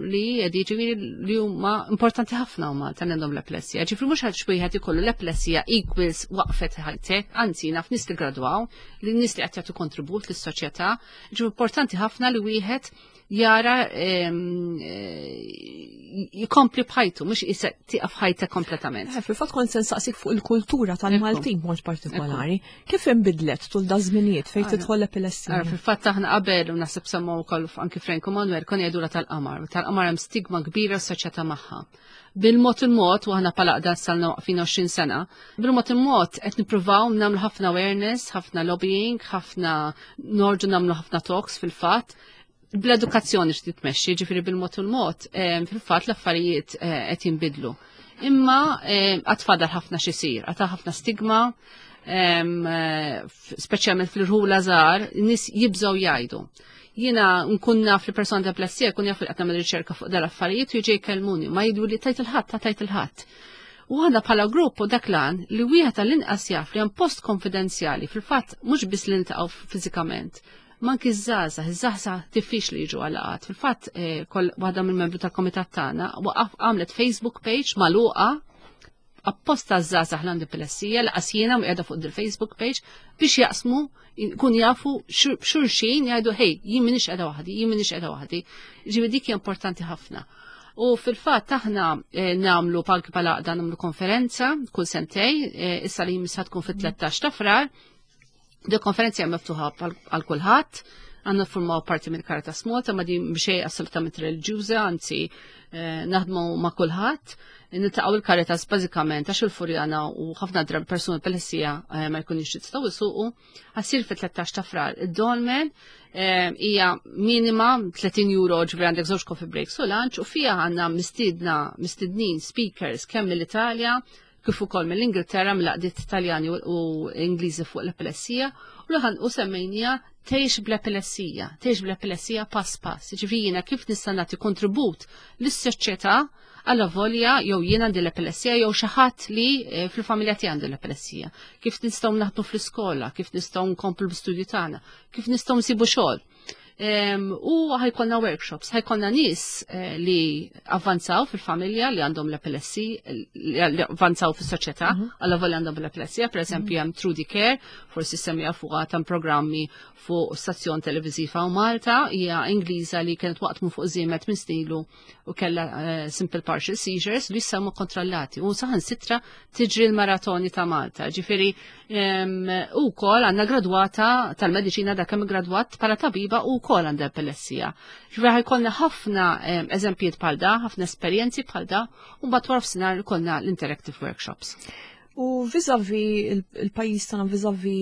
li ġifieri li huma importanti ħafna huma tal għandhom l-epilessija. Ġifieri mhux għax wieħed ikollu l-epilessija equals waqfet ħajtek, anzi naf nies li gradwaw, li nies li qed jagħtu kontribut lis-soċjetà. Ġifieri importanti ħafna li wieħed jara jikompli b'ħajtu, mhux tieqaf ħajta kompletament. Fil-fatt kont se nsaqsik fuq il-kultura tal-Maltin mod partikolari. Kif inbidlet tul da żminijiet fejn tidħol l-epilessija? Fil-fatt aħna qabel u naħseb semmu wkoll anki Frank u Manuel kon jgħidula tal-qamar, u tal-qamar hemm stigma kbira assoċjata magħha. Bil-mod il-mod, u aħna palaqda salna waqfin għoxrin sena, bil-mod il-mod qed nippruvaw nagħmlu ħafna awareness, ħafna lobbying, ħafna norġu nagħmlu ħafna talks fil-fatt, bl-edukazzjoni x'trid tmexxi, ġifieri bil-mod il-mod, fil-fatt l-affarijiet qed jinbidlu. Imma għad fadal ħafna x'isir, għad ħafna stigma, speċjalment fil-rħula żgħar, nies jibżgħu jgħidu. Jiena nkun naf li persona ta' epilessija jkun jaf li qed nagħmel riċerka fuq dal-affarijiet u jiġi jkellmuni, ma jgħidu li tajt il-ħadd, ta' tajt il-ħadd. U għandna bħala grupp u dak lan li wieħed tal-inqas jaf li hemm post konfidenzjali, fil-fatt mhux biss li niltaqgħu fiżikament, ma anki ż-żgħażagħ, iż-żgħażagħ diffiċli jiġu għal-laqgħat. Fil-fatt waħda mill-membru tal-komitat tagħna waqaf għamlet Facebook page magħluqa apposta ż-żgħażagħ l-għandi epilessija, laqas jiena u qiegħda fuq il-Facebook page biex jaqsmu, kun jafu xulxin jgħidu hej, jien m'iniex qiegħda waħdi, jien m'iniex qiegħda waħdi. Ġifieri dik hija importanti ħafna. U fil-fatt aħna nagħmlu palki bħala għaqda nagħmlu konferenza kull sentej, issa li jmiss tkun fit-tlettax ta' Frar. Di konferenza hija miftuħa għal kulħadd, għandna ffurmaw parti mill Caritas Malta, ma din xejn assolutament reliġjuża, anzi naħdmu ma' kulħadd. Niltaqgħu il-Caritas bażikament għax il-Furjana u ħafna drabi persuni b'epilessija ma jkunux jistgħu jsuqu. Għassir fit-tlettax ta' Frar. Id-dolmen hija minima tletin euro, ġifieri għandek żewġ coffee breaks u lunch, u fija għandna mistiedna mistednin speakers kemm mill-Italja kif ukoll mill-Ingilterra, mill-għaqdiet Taljani u Ingliżi fuq l-epilessija, u l u semmejnija tgħix bl-epilessija, tgħix bl-epilessija pass pass. Ġifieri jiena kif nista' nagħti kontribut lis-soċjetà għalla volja jew jien għandi l-epilessija jew xi ħadd li fil-familja tiegħi għandu l-epilessija. Kif nistgħu naħdmu fl-iskola, kif nistgħu nkomplu l-istudju tagħna, kif nistgħu nsibu xogħol. U ħajkollna workshops, ħajkollna nies li avvanzaw fil-familja li għandhom l-epilessija, li avvanzaw fis-soċjetà, għalla volja għandhom l-epilessija, per eżempju hemm Trudy Care, forsi semmija fuqha tam programmi fuq stazzjon televiżiva u Malta, hija Ingliża li kienet waqt minn fuq żiemet minn stilu u kellha simple partial seizures li issa huma kontrollati u saħansitra tiġri l-maratoni ta' Malta. Ġifieri u wkoll għandna gradwata tal-mediċina dak kemm gradwat bħala tabiba u wkoll għandha epilessija. Ġifieri ħajkollna ħafna eżempjiet bħal da, ħafna esperjenzi bħal da, u mbagħad wara f'sinar ikollna l-interactive workshops. U vizavi il-pajjiż tagħna, vizavi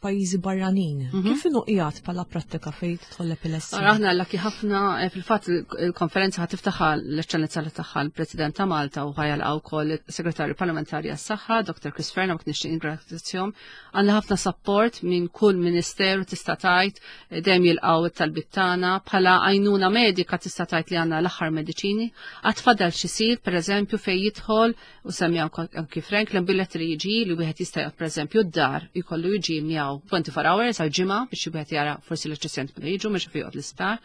pajjiżi barranin, kif inhu qiegħed bħala prattika fejn tidħol l-epilessija? Aħna lucky ħafna, fil-fatt il-konferenza ħa tiftaħha l-eċċellenza li tagħha l-President ta' Malta u ħajalqgħu wkoll il-Segretarju Parlamentari għas-Saħħa, Doktor Chris Fearne, u nixtieq ningrazzjahom. Għandna ħafna support minn kull ministeru tista' tgħid, dejjem jilqgħu it-talbiet tagħna, bħala għajnuna medika tista' tgħid li għandna l-aħħar mediċini. Għad fadal xi jsir, pereżempju, fejn jidħol u semmi anki Frank l-ambulatory jiġi li wieħed jista' joqgħod pereżempju d-dar jkollu jiġi miegħu twenty-four hours għal ġimgħa biex wieħed jara forsi l-eċċessjoni meta jiġu mhux joqgħod l-isptar.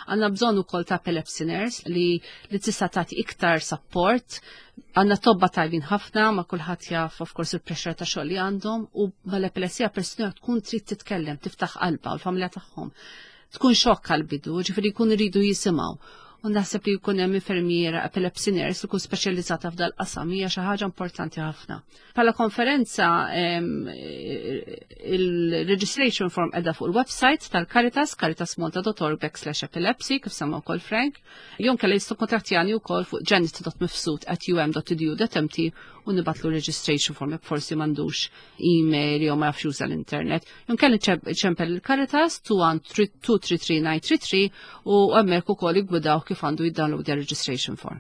Għandna bżonn ukoll ta' epilepsy nurse li, li tista' tagħti iktar support. Għandna tobba tajbin ħafna, ma kulħadd jaf of course il-pressure ta' xogħol li għandhom, u mal-epilessija persuna tkun trid titkellem, tiftaħ qalbha u l-familja tagħhom. Tkun xokk għall-bidu, ġifieri jkunu jridu jisimgħu. U naħseb li jkun hemm infermiera epilepsy nurse li tkun speċjalizzata f'dal qasam hija xi ħaġa importanti ħafna. Bħala konferenza il-registration form qiegħda fuq il-website tal-Caritas, caritasmalta dot org backslash epilepsy, kif semma wkoll Frank. Jew inkella jistgħu jikkuntattjawni wkoll fuq janet dot mifsud at um dot edu dot M T u nibgħatlu registration form jekk forsi m'għandux email jew ma jafx juża l-internet. Jew inkella ċempel il-Caritas two one two three three nine three three u hemmhekk ukoll jiggwidaw kif għandu jiddownload registration form.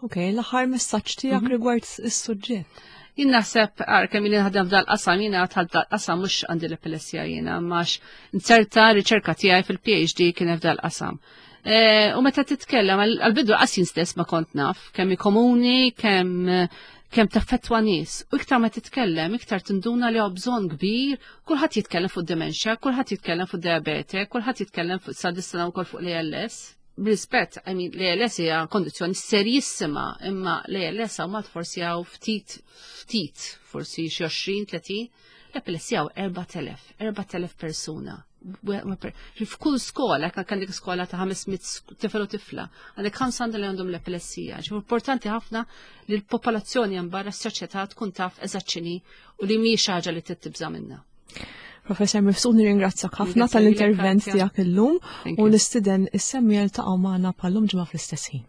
Ok, l-aħħar messaġġ tiegħek mhm. rigward is-suġġett. Jien naħseb għar kemm jien naħdem f'dal-qasam, jiena dħalt dal-qasam mhux għandi l-epilessija jiena, għax inzerta riċerka tiegħi fil-P H D kien f'dal-qasam. E, u meta titkellem, għal-bidu qas jien stess ma kont naf kemm komuni, kemm kemm taffettwa nies. U iktar ma titkellem, iktar tinduna li bżonn kbir, kulħadd jitkellem fuq dementia, kulħadd jitkellem fuq diabete, kulħadd jitkellem fuq sa wkoll fuq l-A L S. B'rispett, I mean, l-A L S hija kondizzjoni serjissima, imma l-A L S hawn Malta forsi hawn ftit, ftit, forsi xi għoxrin, tletin, l-epilessija hawn erbat elef, erbat elef persuna. F'kull skola, kan għandek skola ta' ħames mitt tifel u tifla, għandek ħamsa li għandhom l-epilessija. Ġi importanti ħafna li l-popolazzjoni hemm barra, s-soċjetà tkun taf eżatt u li mhix ħaġa li tibża' minnha. Professor Mifsud, nirringrazzjak ħafna tal-intervent tiegħek illum u nistieden is-semmiegħa jiltaqgħu magħna bħal-lum ġimgħa fl-istess ħin.